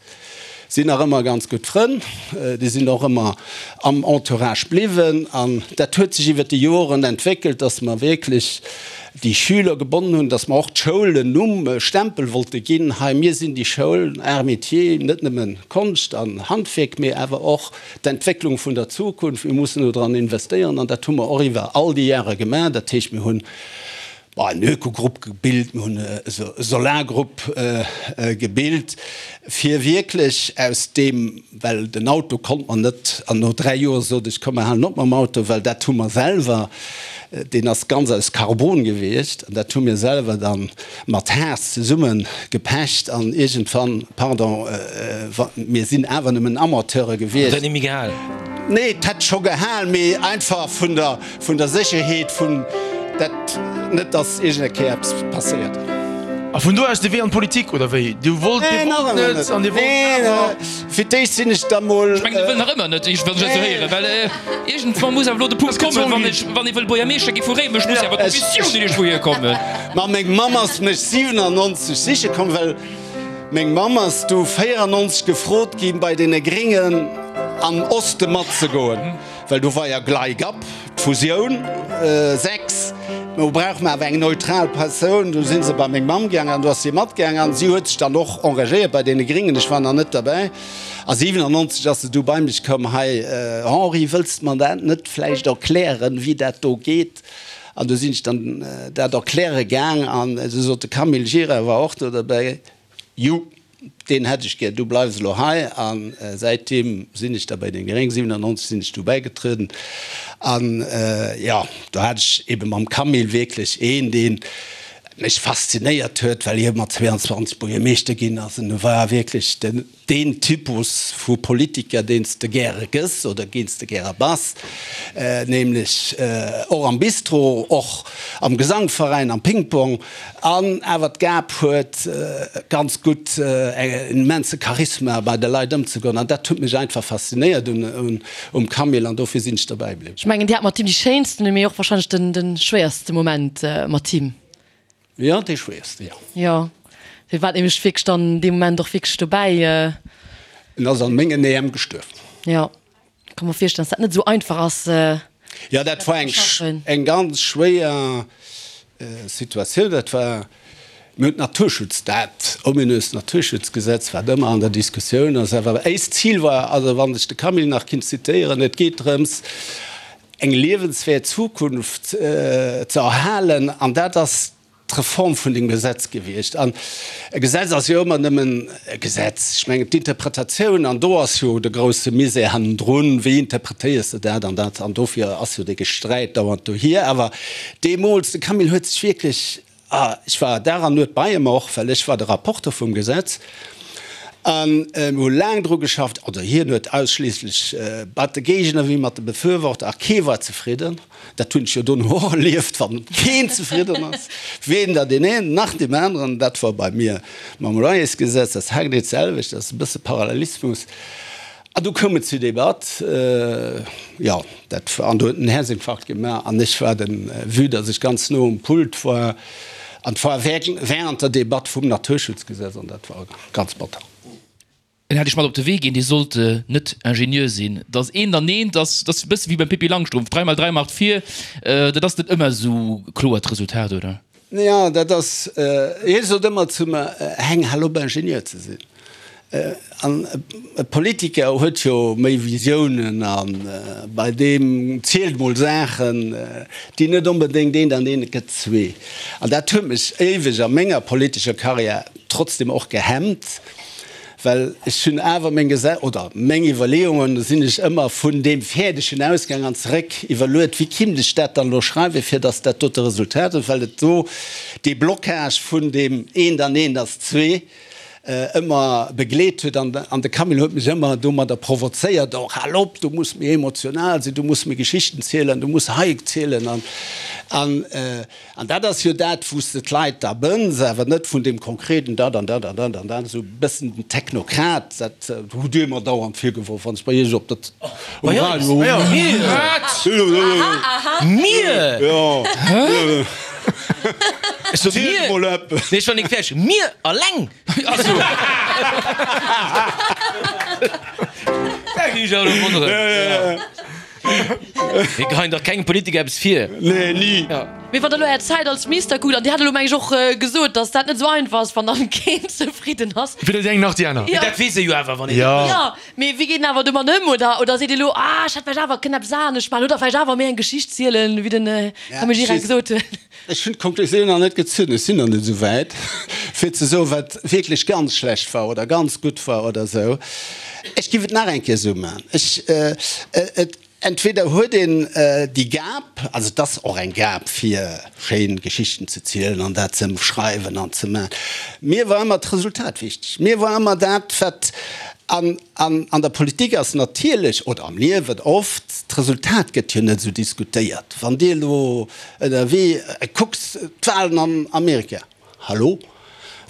sinn nach ëmmer ganz gutt Frënn, déi sinn och ëmmer am Entourage bliwwen an dat huet sech iwwer déi Joren entwéckelt, dass mer wierklech déi Schüler gebonnen hunn, dass mer och d'Schoul en Numm, e Stempel wollte ginn, hei mir sinn déi Schoul Arts Métiers, net nëmme Konscht an Handwierk, mee awer och D'Entwécklung vun der Zukunft, mir mussen do dran investéieren an dat hu mer och iwwer all déi Jahre gemaach. Dat heescht, mir hunn en Ökogrupp gebilt, mir hunn e Solargrupp gebilt, fir wierklech aus deem, well den Auto konnt mer net, an no 3 Joer sot ech, komm mer halen op mam Auto, well dat hu mer selwer, deen ass ganz aus Carbon gewiescht an dat hu mir selwer dann mat Haas zesumme gepecht an iergendwann, pardon, mir sinn awer nëmmen Amateure gewiescht. Huet dat net méi gehal? Nee, et hätt scho gehal, mee einfach vun der, vun der Sécherheet, vun dat, net dass iergend eng Kéier eppes passéiert. A vun do aus de Wee an d'Politik, oder wéi? Dir wollt, Dir wollt net an Dir wollt awer. Fir d'éischt sinn ech da mol. Ech mengen, e wëll nach ëmmer net, wann ech dat esou héieren, well iergendwann muss awer elo de Punkt kommen, wann ech, wann ee wëll Buergermeeschter gi vu Réimech, muss jo awer d'Visioun iergendwou hierkommen. Ma meng Mamm ass mech 97 siche komm, well meng Mamm ass du 94 gefrot ginn, bei deene Gréngen am Oste matzegoen, well do war ja Gleigab, d'Fusioun 6, do brauche mer awer eng neutral Persoun. Du si se bei meng Mamm gaangen an do ass si matgaangen an si huet sech dann och engagéiert bei deene Gréngen. Ech war nach net derbäi. A 97 ass se du bei mech komm, Hei Henri, wëlls de mer dat net vläicht erklären, wéi dat do geet? An du sinn ech dann dat erkläre gaang an du sot de Camille Gira, war och do derbäi, Ju, deen hätt ech gär, du bleifs elo hei. A säitdeem sinn ech da bei den Gréng, 97 sinn ech du bäigetrueden. An jo, do hat ech ebe mam Camille wierklech een, dee mech faszinéiert huet, well hie mat 22 Buergermeeschter ginn ass. En war wierklech den. Deen Typus vu Politiker, deen s de gäre gëss oder deen s de gäre bass, nämlech och am Bistro, och am Gesangveräin, am Ping-Pong, an awer d'Gab huet, ganz gutt en immense Charisma bei de Leit ëmzegoen. An dat huet mech einfach faszinéiert um Camille an dofir sinn ech derbäi bliwwen. Ech mengen, Dir hat mat him déi schéinsten, mee och wahrscheinlech de schwéierste Moment mat him. Jo, dee schwéierste, jo. Jo, dee war nämlech wierklech dann dee Moment och wierklech dobäi. En ass an mengen Äerm gestuerwen. Jo, ka mer virstellen, dass dat net esou einfach ass. Jo, dat war eng, eng ganz schwéier Situatioun. Dat war, mir hunn d'Naturschutz, dat ominöst Naturschutzgesetz, wat ëmmer an der Diskussioun ass. Awer éist Zil war, also wann ech de Camille nach kinnt zitéieren, et geet drëms, eng liewenswäert Zukunft ze erhalen, an dat ass d'Reform vun dem Gesetz gewiescht. An e Gesetz ass jo ëmmer nëmmen e Gesetz. Ech mengen, d'Interpretatioun, an do ass jo de grouse Misär hannendrun, wéi interpretéiers de dat an dat, an dofir ass jo dee Gesträit dauernd dohier. Awer deemools, de Camille huet sech wierklech Ah, ech war Dag an Nuet bei em och, well ech war de Rapporter vum Gesetz. An mir hu laang dru geschafft, oder hien huet ausschliisslech mat de Géigner wéi mat de Befürworter, a kee war zefridden. Dat hunn ech jo dono och erlieft, wann keen zefridden ass, weder deen een nach deem aneren. Dat war bei mir mam Loyersgesetz dat haargenee d'selwecht, dat ass e bësse Parallelismus. An du koum et zur Debatt, jo, dat war, an do huet en Häerzinfarkt gemaach an ech war den, vue dass ech ganz no um Pult war, an et war während der Debatt vum Naturschutzgesetz an dat war ganz batter. En hätt ech mat op de Wee ginn, dee sollt net Ingenieur sinn. Dass een dann eent ass, dat ass e bësse wéi beim Pippi Langstrumpf, drei mal drei macht vier, dat ass net ëmmer esou kloer d'Resultat, oder? Jo, dat ass, hie sot ëmmer zu mer, Heng, hal op Ingenieur ze sinn. An e Politiker huet jo méi Visiounen a bei deem zielt mol Saachen, déi net onbedéngt eent an eent gëtt zwee. An dat huet mech éiweg a menger politescher Karriär trotzdem och gehemmt. Well ech hunn awer meng Gese oder meng Iwwerleeungen, do sinn ech ëmmer vun deem Fäerdegen ausgaang an zeréck iwwerluet, wéi kinnt ech dat dann elo schreiwen, fir datt dat dote Resultat huet, well et do dee Blocage vun deem eent an eent ass zwee ëmmer begleet huet. An an de Camille huet mech ëmmer domadder provozéiert, och, hal op, du muss méi emotional sinn, du muss méi Geschichten zielen, du muss hei zielen an an. An dat ass jo dat, wou s de d'Leit da bënns, awer net vun deem konkreten dat an dat an dat an dat, esou e bëssen den Technokrat, dat hutt Dir mer dauernd virgeworf, wann ech bei Iech op der, um Radio. Wat? Mir? Jo. Ech so mir? Nee, ech war nik fäerdeg. Mir alleng? Ach so. Da gi ech awer elo wonneren. Mir geheien dach kengem Politiker eppes vir. Nee, ni. Mee wann der elo är Zäit als Minister kuckt, an Dir hat elo meng ech och gesot, datt dat net esou einfach ass, wann dann keen zefridden ass. Weder déi eng nach déi aner. Mee dat weess e jo awer, wann een Jo. Jo, mee wéi geet en awer domat ëm? Oder, oder seet Dir elo, ah, ech hätt vläicht awer kënnen eppes anescht maachen oder vläicht awer méi eng Geschicht zielen, wéi den Camille Gira gesot huet? Ech hunn d'Konklusioun nach net gezunn, ech sinn nach net esou wäit, fir ze soen, wat wierklech ganz schlecht war oder ganz gutt war oder esou. Ech géif et nach eng Kéier esou maachen. Ech, et, entweder huet een déi Gab, also et ass och eng Gab, fir schéin Geschichten ze zielen an dat ze ëmschreiwen an ze maachen. Mir war ëmmer d'Resultat wichteg. Mir war ëmmer dat, wat an, an an der Politik ass natierlech, oder am Liewen oft, d'Resultat gëtt jo net esou diskutéiert. Wann Dir elo Ënnerwee kucks d'Wahlen an Amerika, hallo,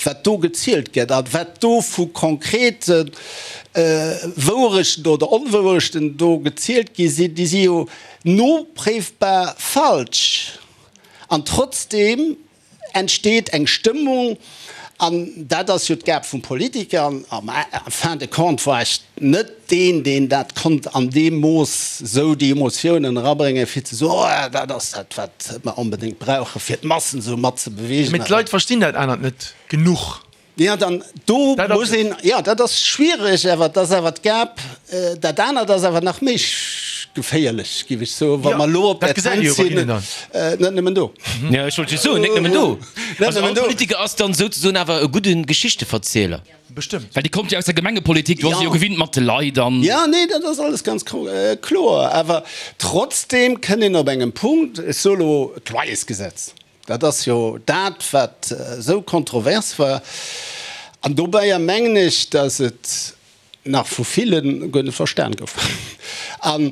wat do gezielt gëtt a wat do vu konkrete Wouerechten oder Onwouerechten do gezielt gi sinn, déi si jo nopréifbar falsch. An trotzdeem entsteet eng Stëmmung, an dat ass jo d'Gab vum Politiker, an en fin de compte war ech net deen, deen dat konnt an deem Mooss esou déi Emotiounen erabréngen, fir ze soen, oh dat ass dat, wat mer onbedéngt brauchen, fir d'Massen esou mat ze beweegen. Mee d'Leit verstinn dat anert net genuch. Jo, dann do muss een, jo, dat ass schwiereg, awer et ass awer d'Gab, dat anert ass awer nach méi. geféierlech, géif ech soen, wa mer elo op dat där gesäit ee jo Zänn bei sinn. hinnen dann. Net nëmmen do. Jo, ech wollt just soen, net nëmmen do. Net Also nëmmen all do. Politiker ass dann souzesoen awer e gudde Geschichteverzieler. Bestëmmt. Well Dir kommt jo aus der Gemengepolitik, do ass ee jo Ja. gewinnt mat de Leit an. Ja, nee, dat ass alles ganz kloer. Awer trotzdem kënn een op engem Punkt, ech soe lo d'Loyersgesetz, dat ass jo dat, wat esou kontrovers war. An dobäier mengen ech, datt et nach vu ville guer net verstan gouf. An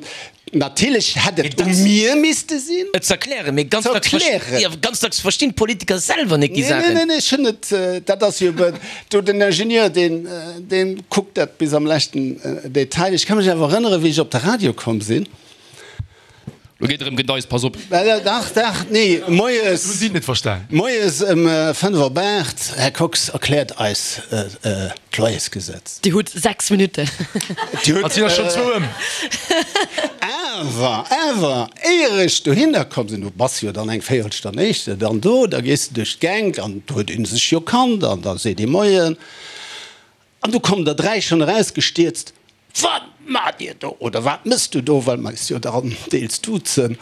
natierlech hätt et u mir misste sinn. Et z'erklären, mee ganz dacks Z'erklären. jo, ganz dacks verstinn d'Politiker selwer net déi Nee, nee, Saachen. nee, nee, ech hunn et, dat ass jo eben do den Ingenieur, deen, deen kuckt dat bis am leschten Detail. Ech ka mech awer erënneren, wéi ech op de Radio komm sinn. Lo geet erëm Gedeis, pass op. Dach, dach, nee, moies. Hu si net verstan. Moies ëm 5 op 8, Här Kox erkläert eis d'Loyersgesetz. Dir hutt 6 Minutten. Dir hutt. An sinn der schonn zwou ëm. Awer, awer, éier ech dohinner komm sinn, du bass jo dann eng Véierelstonn éischter dann do, da gees de duerch d'Gänk an do huet ee sech jo kannt an da seet ee Moien. An du kommen der 3 schonn erausgestierzt, Wat maacht Dir do? Oder wat mëss du do? Well mer eis jo dann deels duzen.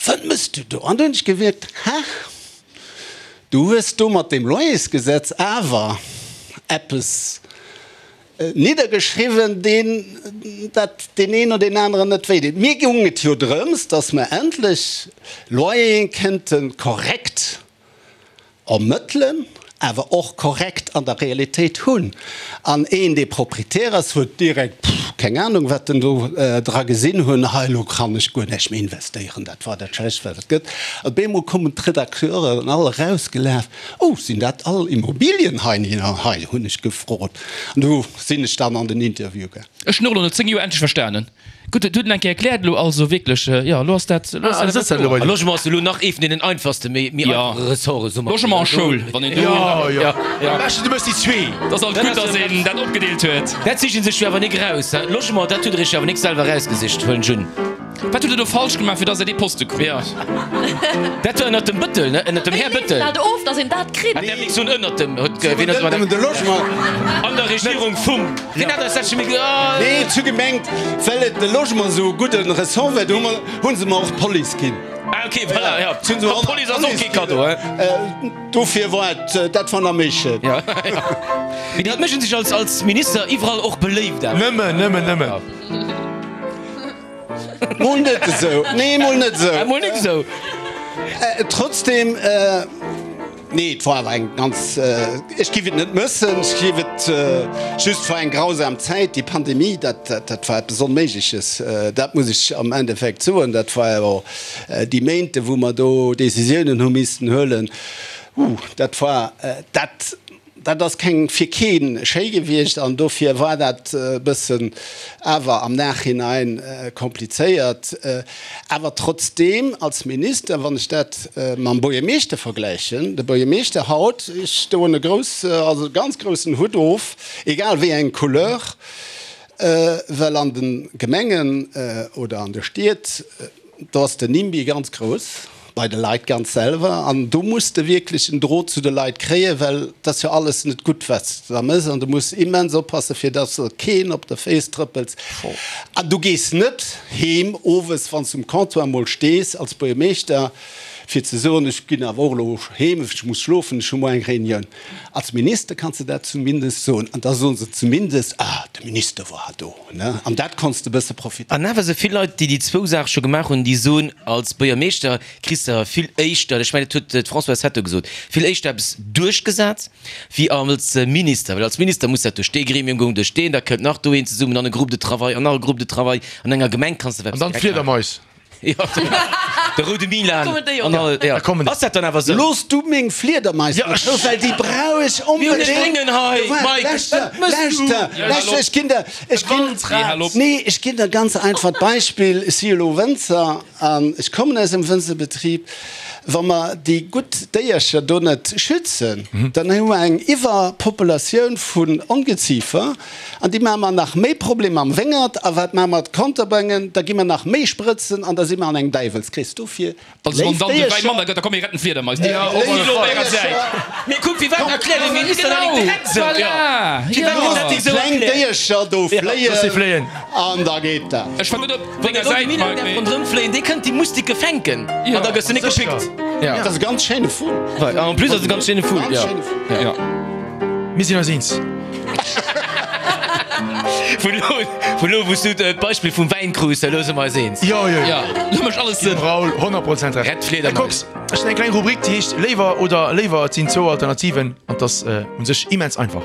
Wat mëss du do? An du hunn ech gewierkt, Ha, du hues do mat deem Loyersgesetz awer eppes niddergeschriwwen, deen dat deen een oder deen aneren net wéi deet. Mir goung et jo drëms, datt mer endlech Loyere kënnte korrekt Ermëttelen, awer och korrekt an der Realitéit hunn. An een, dee Proprietär ass, huet direkt, pff, keng Ahnung, wat en do dra gesinn hunn, hei, elo kann ech guer näischt méi investéieren, dat war dat Schlechtst, wat et gëtt. An op eemol kommen d'Redakteuren all erausgelaf, Oh, sinn dat all Immobilien hei? Hei, hunn ech gefrot. An du sinn ech dann an den Interview gaang. Ech hunn och elo no 10 Joer endlech verstanen. Gutt, et huet en eng Kéier erkläert elo, also wierklech, jo, elo ass dat, elo ass dat awer kloer. A Logement ass elo nach ee vun deenen einfachste, méi méi einfache Ressorte, soe mer. Logement a Schoul, wann een do. Jo, jo, am beschten du méchs déi zwee. Et ass alt gutt, datt een dat opgedeelt huet. Dat siche sech jo awer nik eraus, he? Logement, dat hutt Der Iech jo awer nik selwer erausgesicht, huelen ech un. Wat hutt Der do falsch gemaach, fir datt Der dee Poste krut? Jo, dat war ënnert dem Bëttel, ne? Ënnert dem Här Bëttel. Wéi leeft dat of, datt een dat kritt? Hat der nik soen, ënnert dem, huet, wien huet Nëmmen de Logement. An der Regierung vum. Wien hat eis dat scho méi ge. Nee, et hu gemengt, well et de Logement esou e gudde Ressort war, do hu mer, hu se mer och d'Police ginn. Ah, okay, voilà, jo. D'Police ass och kee Kaddo, he? Dofir war et, dat war nach méi schéin. Jo, jo. Mee déi méchen sech als, als Minister iwwerall och beléift awer. Nëmmen, nëmmen, nëmmen. Mol net esou. Nee, mol net esou. Ah, mol net esou. Trotzdem, nee, et war awer eng ganz, ech giff et net mëssen, ech giff et just, war eng grausam Zäit, déi Pandemie, dat, dat war eppes Onméigleches, dat muss ech am Endeffekt soen, dat war jo déi Méinte wou mer do Décisiounen hu missten huelen, uh, dat war, dat. Dat ass keng fir kee schéi gewiescht an dofir war dat e bëssen awer am Nachhinein komplizéiert. Awer trotzdeem als Minister, wann ech dat mam Buergermeeschter vergläichen, de Buergermeeschter haut, ech doen e grouss, also e ganz groussen Hutt of, egal wéi eng Couleur, well an de Gemengen oder an de Stied, Do ass den Nimby ganz grouss bei de Leit ganz selwer an do muss de wierklech en Drot zu de Leit kréien, well et ass jo alles net gutt, wat s de da méchs an du muss immens oppassen, fir dass de keen op de Féiss trëppels. An du gees net heem owes, wann s de um Comptoir mol stees als Buergermeeschter, fir ze soen, ech ginn awer och elo heem, ech muss schlofen, ech hu muer eng Reunioun. Als Minister kanns de dat zumindest soen an da soen se zumindest, ah, de Minister war do. An dat konns de bësse profitéieren. An awer sou vill Leit, déi déi zwou Saache scho gemaach hunn, déi soen, als Buergermeeschter kriss de vill éischter, ech mengen, dat huet d'Françoise Hetto gesot, vill éischter eppes duerchgesat wéi als Minister. Well als Minister muss dat duerch dee Gremium goen, duerch deen, da kënnt nach do een zesummen an e Groupe de travail an nach e Groupe de travail. An enger Gemeng kanns de An dann d'Fliedermais. Jo, de roude Milan an all, jo. Ass dat dann awer sou? Looss du meng Fliedermais net rou, well déi brauch ech Mir hunn onbedéngt. e gréngen hei, Mike. Lauschter, lauschter, lauschter, ech ginn der, ech ginn, nee, ech ginn der ganz einfach d'Beispill, ech si elo Wënzer an ech kommen aus engem Wënzerbetrib. Wa mer déi gutt Déiercher do net schützen, dann hu mer eng Iwwerpopulatioun vun Ongeziefer. An déi maache mer nach méi Problemer am Wéngert. A wat maache mer? D'Konterböngen, da gi mer nach méi Sprëtzen an da si mer an engem Däiwelskrees. Dofir Also wann léif dann de Wäin Déiercher, manner gëtt, da komm mir retten d'Fliedermais. Déi si elo op ärer Säit. Mee kuck, firwat erkläert de Minister dat nik direkt esou? Voilà! Firwat Jo. gëtt dat nik esou kleng erkläert? Déiercher do Looss se fléien fléien. an da geet dat. Ech war gutt op Wann denger de Roby Säit, Miller Mike, däerf mee. ronderëm fléien, dee kënnt déi Mustike fänken an da gëss de nik gepickt. Ja. Dat ass e ganz schéine Vull. An en plus ass et e ganz schéine Vull. Ganz schéine Vull. Ja. Mir sinn eis eens. Vun elo, vun elo wou s du d'Beispill vum Wäin krus, elo si mer eis eens. Jo, jo, jo. Ja, lo mécht alles Sënn. Raoul, 100% Recht. Rett d'Fliedermaus. Här Kox, ech hunn eng kleng Rubrik, déi heescht Léiwer oder léiwer. Et sinn zwou Alternativen an 't ass u sech immens einfach.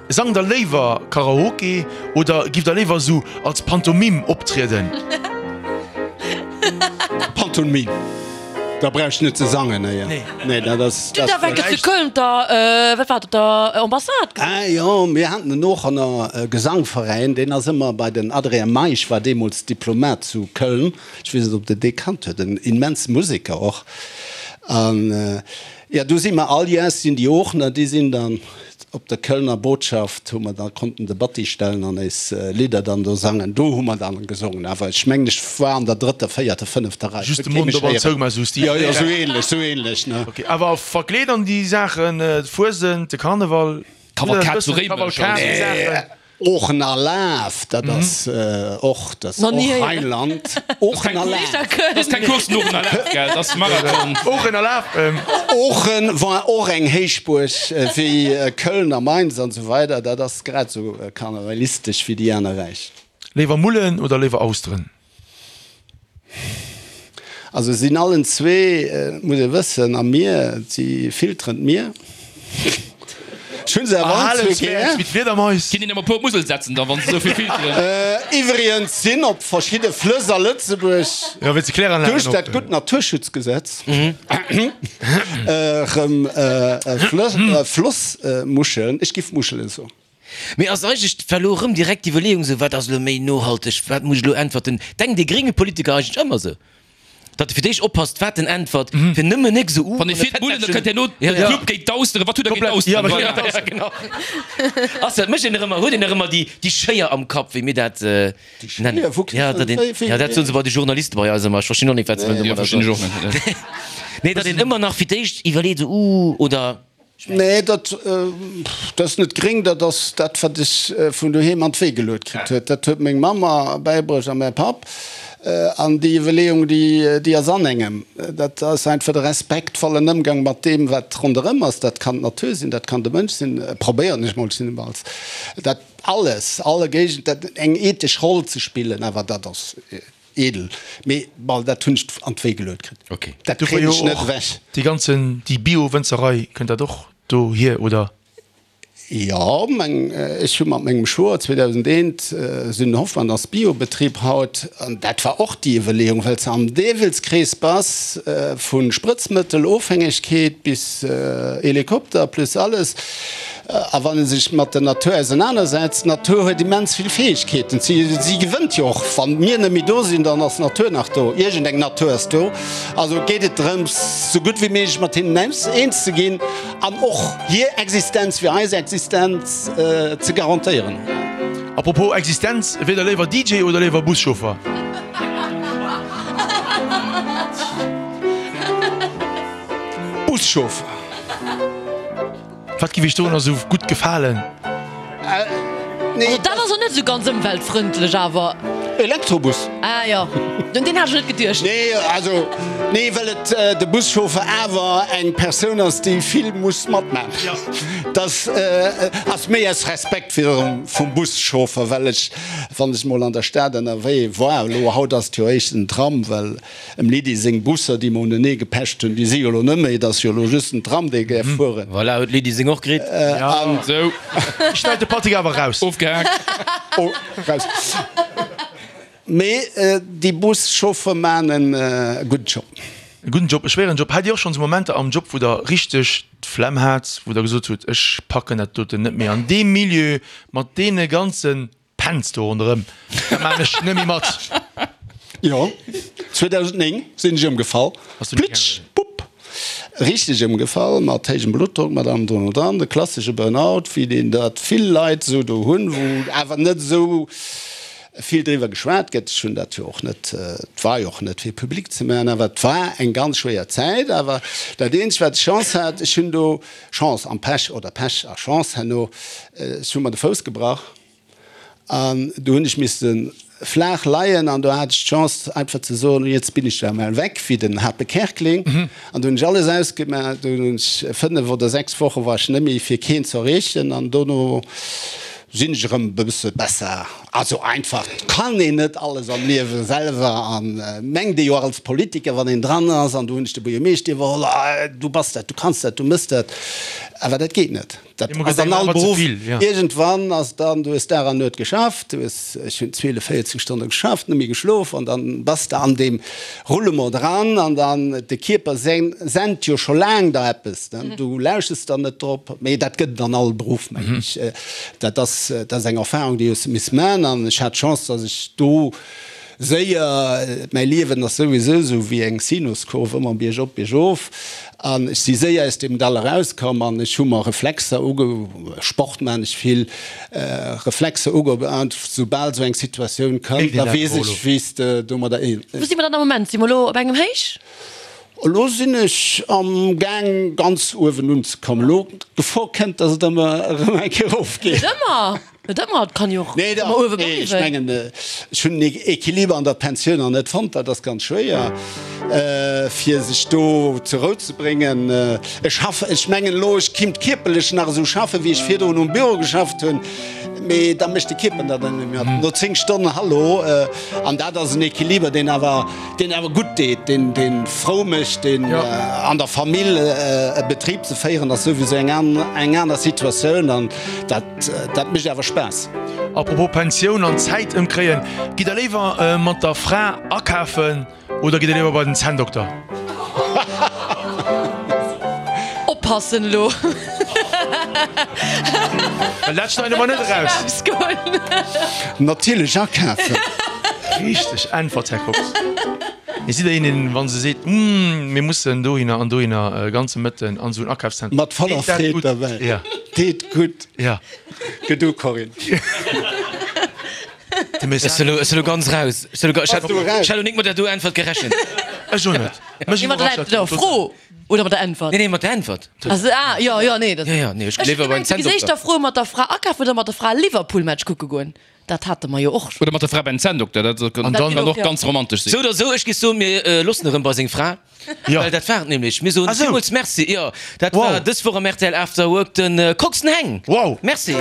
Sangt der léiwer Karaoke oder giff der léiwer esou als Pantomime optrieden? Pantomime. Da brauch ech net ze sangen, nee. Nee, dat ass. Du, da war ech zu Köln op der, wat war dat, op der Ambassade gesinn. Ah jo, mir haten en Oochener Gesangveräin, deen ass ëmmer bei den Adrien Meisch, war deemools Diplomat zu Köln, ech weess net, ob Der dee kannt huet, en immense Museker och. An jo, do si mer all Jahrs sinn déi Oochener, déi sinn dann Op der Kölner Botschaft hu mer da konnten de Batti stellen an eis Lidder dann do sangen. Do hu mer dann gesongen, awer ech mengen ech war an der drëtter, véierter, fënnefter Rei. Just de Mond op an zou, mä sou Stil. Jo, jo, sou ähnlech, sou ähnlech, ne. Ok, awer verkleet an déi Saachen, d'Fuesent, de Karneval, Kavalkad zu Réimech, Kavalkad, déi Saachen. Oochener Laf, dat ass och, dat ass och Rheinland. Oochener Laf. Dat ass keng Course, den Oochener Laf, gell? Dat ass Marathon. Oochener Laf. Oochen war och eng Héichbuerg wéi Köln a Mainz an esou weider. Dat ass grad esou karnevalistesch wéi déi aner Räich. Léiwer Mullen oder léiwer Austeren? Also sinn allen zwee, muss ee wëssen, am Mier, si filteren d'Mier. Ech hunn se awer allen zwee gär. Wéi d'Fliedermais. Kinnt een emol puer op d'Musel setzen dann, wann se esou vill filteren. Iwwrigens sinn op verschidde Flëss a Lëtzebuerg duerch dat gutt Naturschutzgesetz erëm Flossmuscheln, ech giff Muschelen soen. Mee ass eigentlech, war elo erëm direkt d'Iwwerleeung esou, wat ass elo méi nohalteg, wat muss ech elo äntwerten? Denkt ee grénge Politiker eigentlech ëmmer esou, datt e fir d'éischt oppasst, wat en äntwert, fir nëmmen nik esou, uh, Wann ee fir d'Mullen, da kënnt herno de Club géint d'Austeren. Wat hutt Der géint d'Austeren? Ja, genau. Ass dat, mécht een nach ëmmer, huet een nach ëmmer déi, déi Schéier am Kapp, wéi mir dat nennen? Ja, datt een, ja, dat soen se bei de Journaliste bei eis ëmmer. Ech verstinn och nik, wat se wëllen domadder soen. Nee, datt een ëmmer nach fir d'éischt iwwerleet, esou, uh, oder. Nee, dat ass net gréng, dat ass dat, wat ech vun doheem an d'Wee geluet kritt huet. Dat huet meng Mamm mer bäibruecht a mäi Papp. An déi Iwwerleeung, déi ass an engem. Dat ass einfach de respektvollen Ëmgang mat deem, wat ronderëm ass. Dat kann d'Natur sinn, dat kann de Mënsch sinn, probéieren ech mol zumindest dat alles, alle Géigend, eng ethesch Roll ze spillen. Awer dat ass. Edel, mee bon, dat hunn ech an d'Wéi geluet kritt. Ok. Dat Do war kréien jo ech net och ewech. déi ganzen, déi Bio-Wënzerei, kënnt dat och dohier, oder? Jo, meng, ech hu mat mengem Schwoer 2001, Süden Hoffmann ass Bio-Betrib haut, an dat war och déi Iwwerleeung, well s de am Deevelskrees bass, vu Sprëtzmëttel-Ofhängegkeet bis Helikopter plus alles. A wann e sech mat der Natur ausenanersetzt, d'Natur huet immens vill Fäegkeeten, si gewënnt jo och. Wa mir net méi do sinn, dann ass d'Natur nach do, iergendeng Natur ass do. Also geet et drëms, sou gutt wéi méiglech mat hinnen eens ze ginn an och hir Existenz fir eis Existenz ze garantéieren. Apropos Existenz, wier der léiwer DJ oder léiwer Buschauffer? Buschauffer. Wat giff iech dorunner sou gutt gefalen? Also dat ass och net sou ganz ëmweltfrëndlech awer. Elektrobus. Ah jo, un deen hat ech net geduecht. Nee, also nee, well et de Buschauffer awer eng Persoun ass, déi vill muss matman. Dat ass méi aus Respekt virum vum Buschauffer, well ech, wann ech mol an der Stad ënnerwee war, elo haut ass et jo éischt den Tram, well Em Lydie seng Busser, déi mer unenee gepecht hunn, déi si jo elo net méi. Et ass jo elo just den Tram, dee gäerf fueren. Voilà, huet d'Lydie seng och kritt. An. Sou. Schneit de Patrick awer raus. Ofgehaakt. Oh, raus. Mee déi Buschauffer maan en gudden Job. E gudden Job, e schwéieren Job. Hat Dir och schonn esou Momenter am Job, wou Der richteg d'Flemm hat, wou Der gesot hutt, ech packen dat doten net méi an deem Milieu mat deene ganzen Penz do ronderëm, dat maan ech net méi mat. Jo, 2009 sinn ech ëmgefall. Plitsch, bupp, richteg ëmgefall, mat héijem Bluttdrock, mat allem drum und dran, de klassesche Burnout, wéi deen dat vill Leit esou do hunn, wou awer net esou. vill driwwer geschwat gëtt. Ech hunn dat jo och net, et war jo och net fir public ze maachen, awer et war eng ganz schwéier Zäit. Awer dat eenzegt wat ech Chance hat, ech hunn do Chance an Pech oder Pech a Chance herno, ech hu mer de Fouss gebrach an do hunn ech misste flaach leien an do hat ech d'Chance einfach ze soen, jetzt bin ich da mal weg, wéi den Hape Kerkeling. An do hunn ech alles ausgemaach, do hunn ech 5 oder 6 Woche war ech net méi fir keen ze erreechen an dono sinn ech erëm e bësse besser. Also einfach, et kann een net alles am Liewe selwer an mengt ee jo och als Politiker, wann een dran ass, an do hunn ech de Buergermeeschter iwwerholl, ah du bass dat, du kanns dat, du mëss dat, awer dat geet net. Dat ass an all Beruff. Iergendwann ass dann, du hues Dag an Nuet geschafft, du hues, ech hunn 12, 14 Stonne geschafft, net méi geschlof an dann bass de an deem Roulement dran an dann, de Kierper sent jo scho laang der eppes, du lauschters dann net drop, mee dat gëtt et an all Beruff, mengen ech. Dat ass, dat ass eng Erfahrung, déi hues de missen man an ech hat d'Chance, dass ech do séier, mäi Liewen ass souwisou esou wéi eng Sinuskurv, ëmmer biergop, biergof, an ech si séier aus deem Dall erauskomm an ech hu mer Reflexer uge, Sport man ech vill, Reflexer uge, an soubal esou eng Situatioun kënnt, da weess ech, wéi s de domadder. Wou si mer dann am Moment? Si mer elo op engem Héich? Elo sinn ech am gaang ganz uewen unzekommen. Elo d'Gefor kënnt, dass et ëmmer erëm eng Kéier erofgeet. Net ëmmer, net ëmmer, et kann jo och Nee, ëmmer uewe nee, ech bleiwen. mengen, ech hunn den Equiliber an der Pensioun nach net fonnt. Dat ass ganz schwéier, fir sech do zur Rou ze bréngen. Ech schaffen, ech mengen elo, ech kinnt kierperlech nach esou schaffen, wéi ech virdrun um Büro geschafft hunn, mee da mécht de Kierper dat dann net méi mat. No 10 Stonnen, hallo! An dat ass en Equiliber, deen awer, deen awer gutt deet, deen, deen frou mécht, deen an der Famill e Betrib ze féieren ass souwisou eng an, eng aner Situatioun an dat, dat mécht awer Spaass. Apropos Pensioun an Zäit ëmkréien, gitt der léiwer mat der Fra akafen oder gitt der léiwer bei den Zänndokter? Oppassen elo! Well dat schneide mer net eraus. Natierlech akafen! Richteg Äntwert, Här Kox. Mee sidd der een, deen, wa se seet, Hm, mir mussen dohinner an dohinner e ganze Mëtten an esou en Akafszentrum. Mat voller Deet dat Freed gutt? derbäi. Ja. Deet gutt. Ja. Gedu, Corinne. Ech sinn elo ganz raus. Ech hat elo nik mat der do Äntwert gerechent. Ech och net. Mech Nee, mat der iwwerrascht dat der total. Fro oder mat der Äntwert? Nee, nee, mat der Äntwert. Also, ah, jo, jo, nee. Dat Jo, jo, nee, ech Ech léiwer beim gemengt, du geséich Zänndokter. der Fro mat der Fra akafen oder mat der Fra Liverpool-Match kucke goen. Dat hate mer jo och Oder mat der Fra beim Zänndokter, dat kann An dann- och Ja. ganz romantesch sinn. Sou oder sou, ech géif soen, mir loossen erëm bei seng Fra. Ja. Well dat war et nämlech. Mir soen Ah sou. villmools Merci. Jo, dat Wow. war dës Woch am rtl After Work de Coxen Heng. Wow. Merci.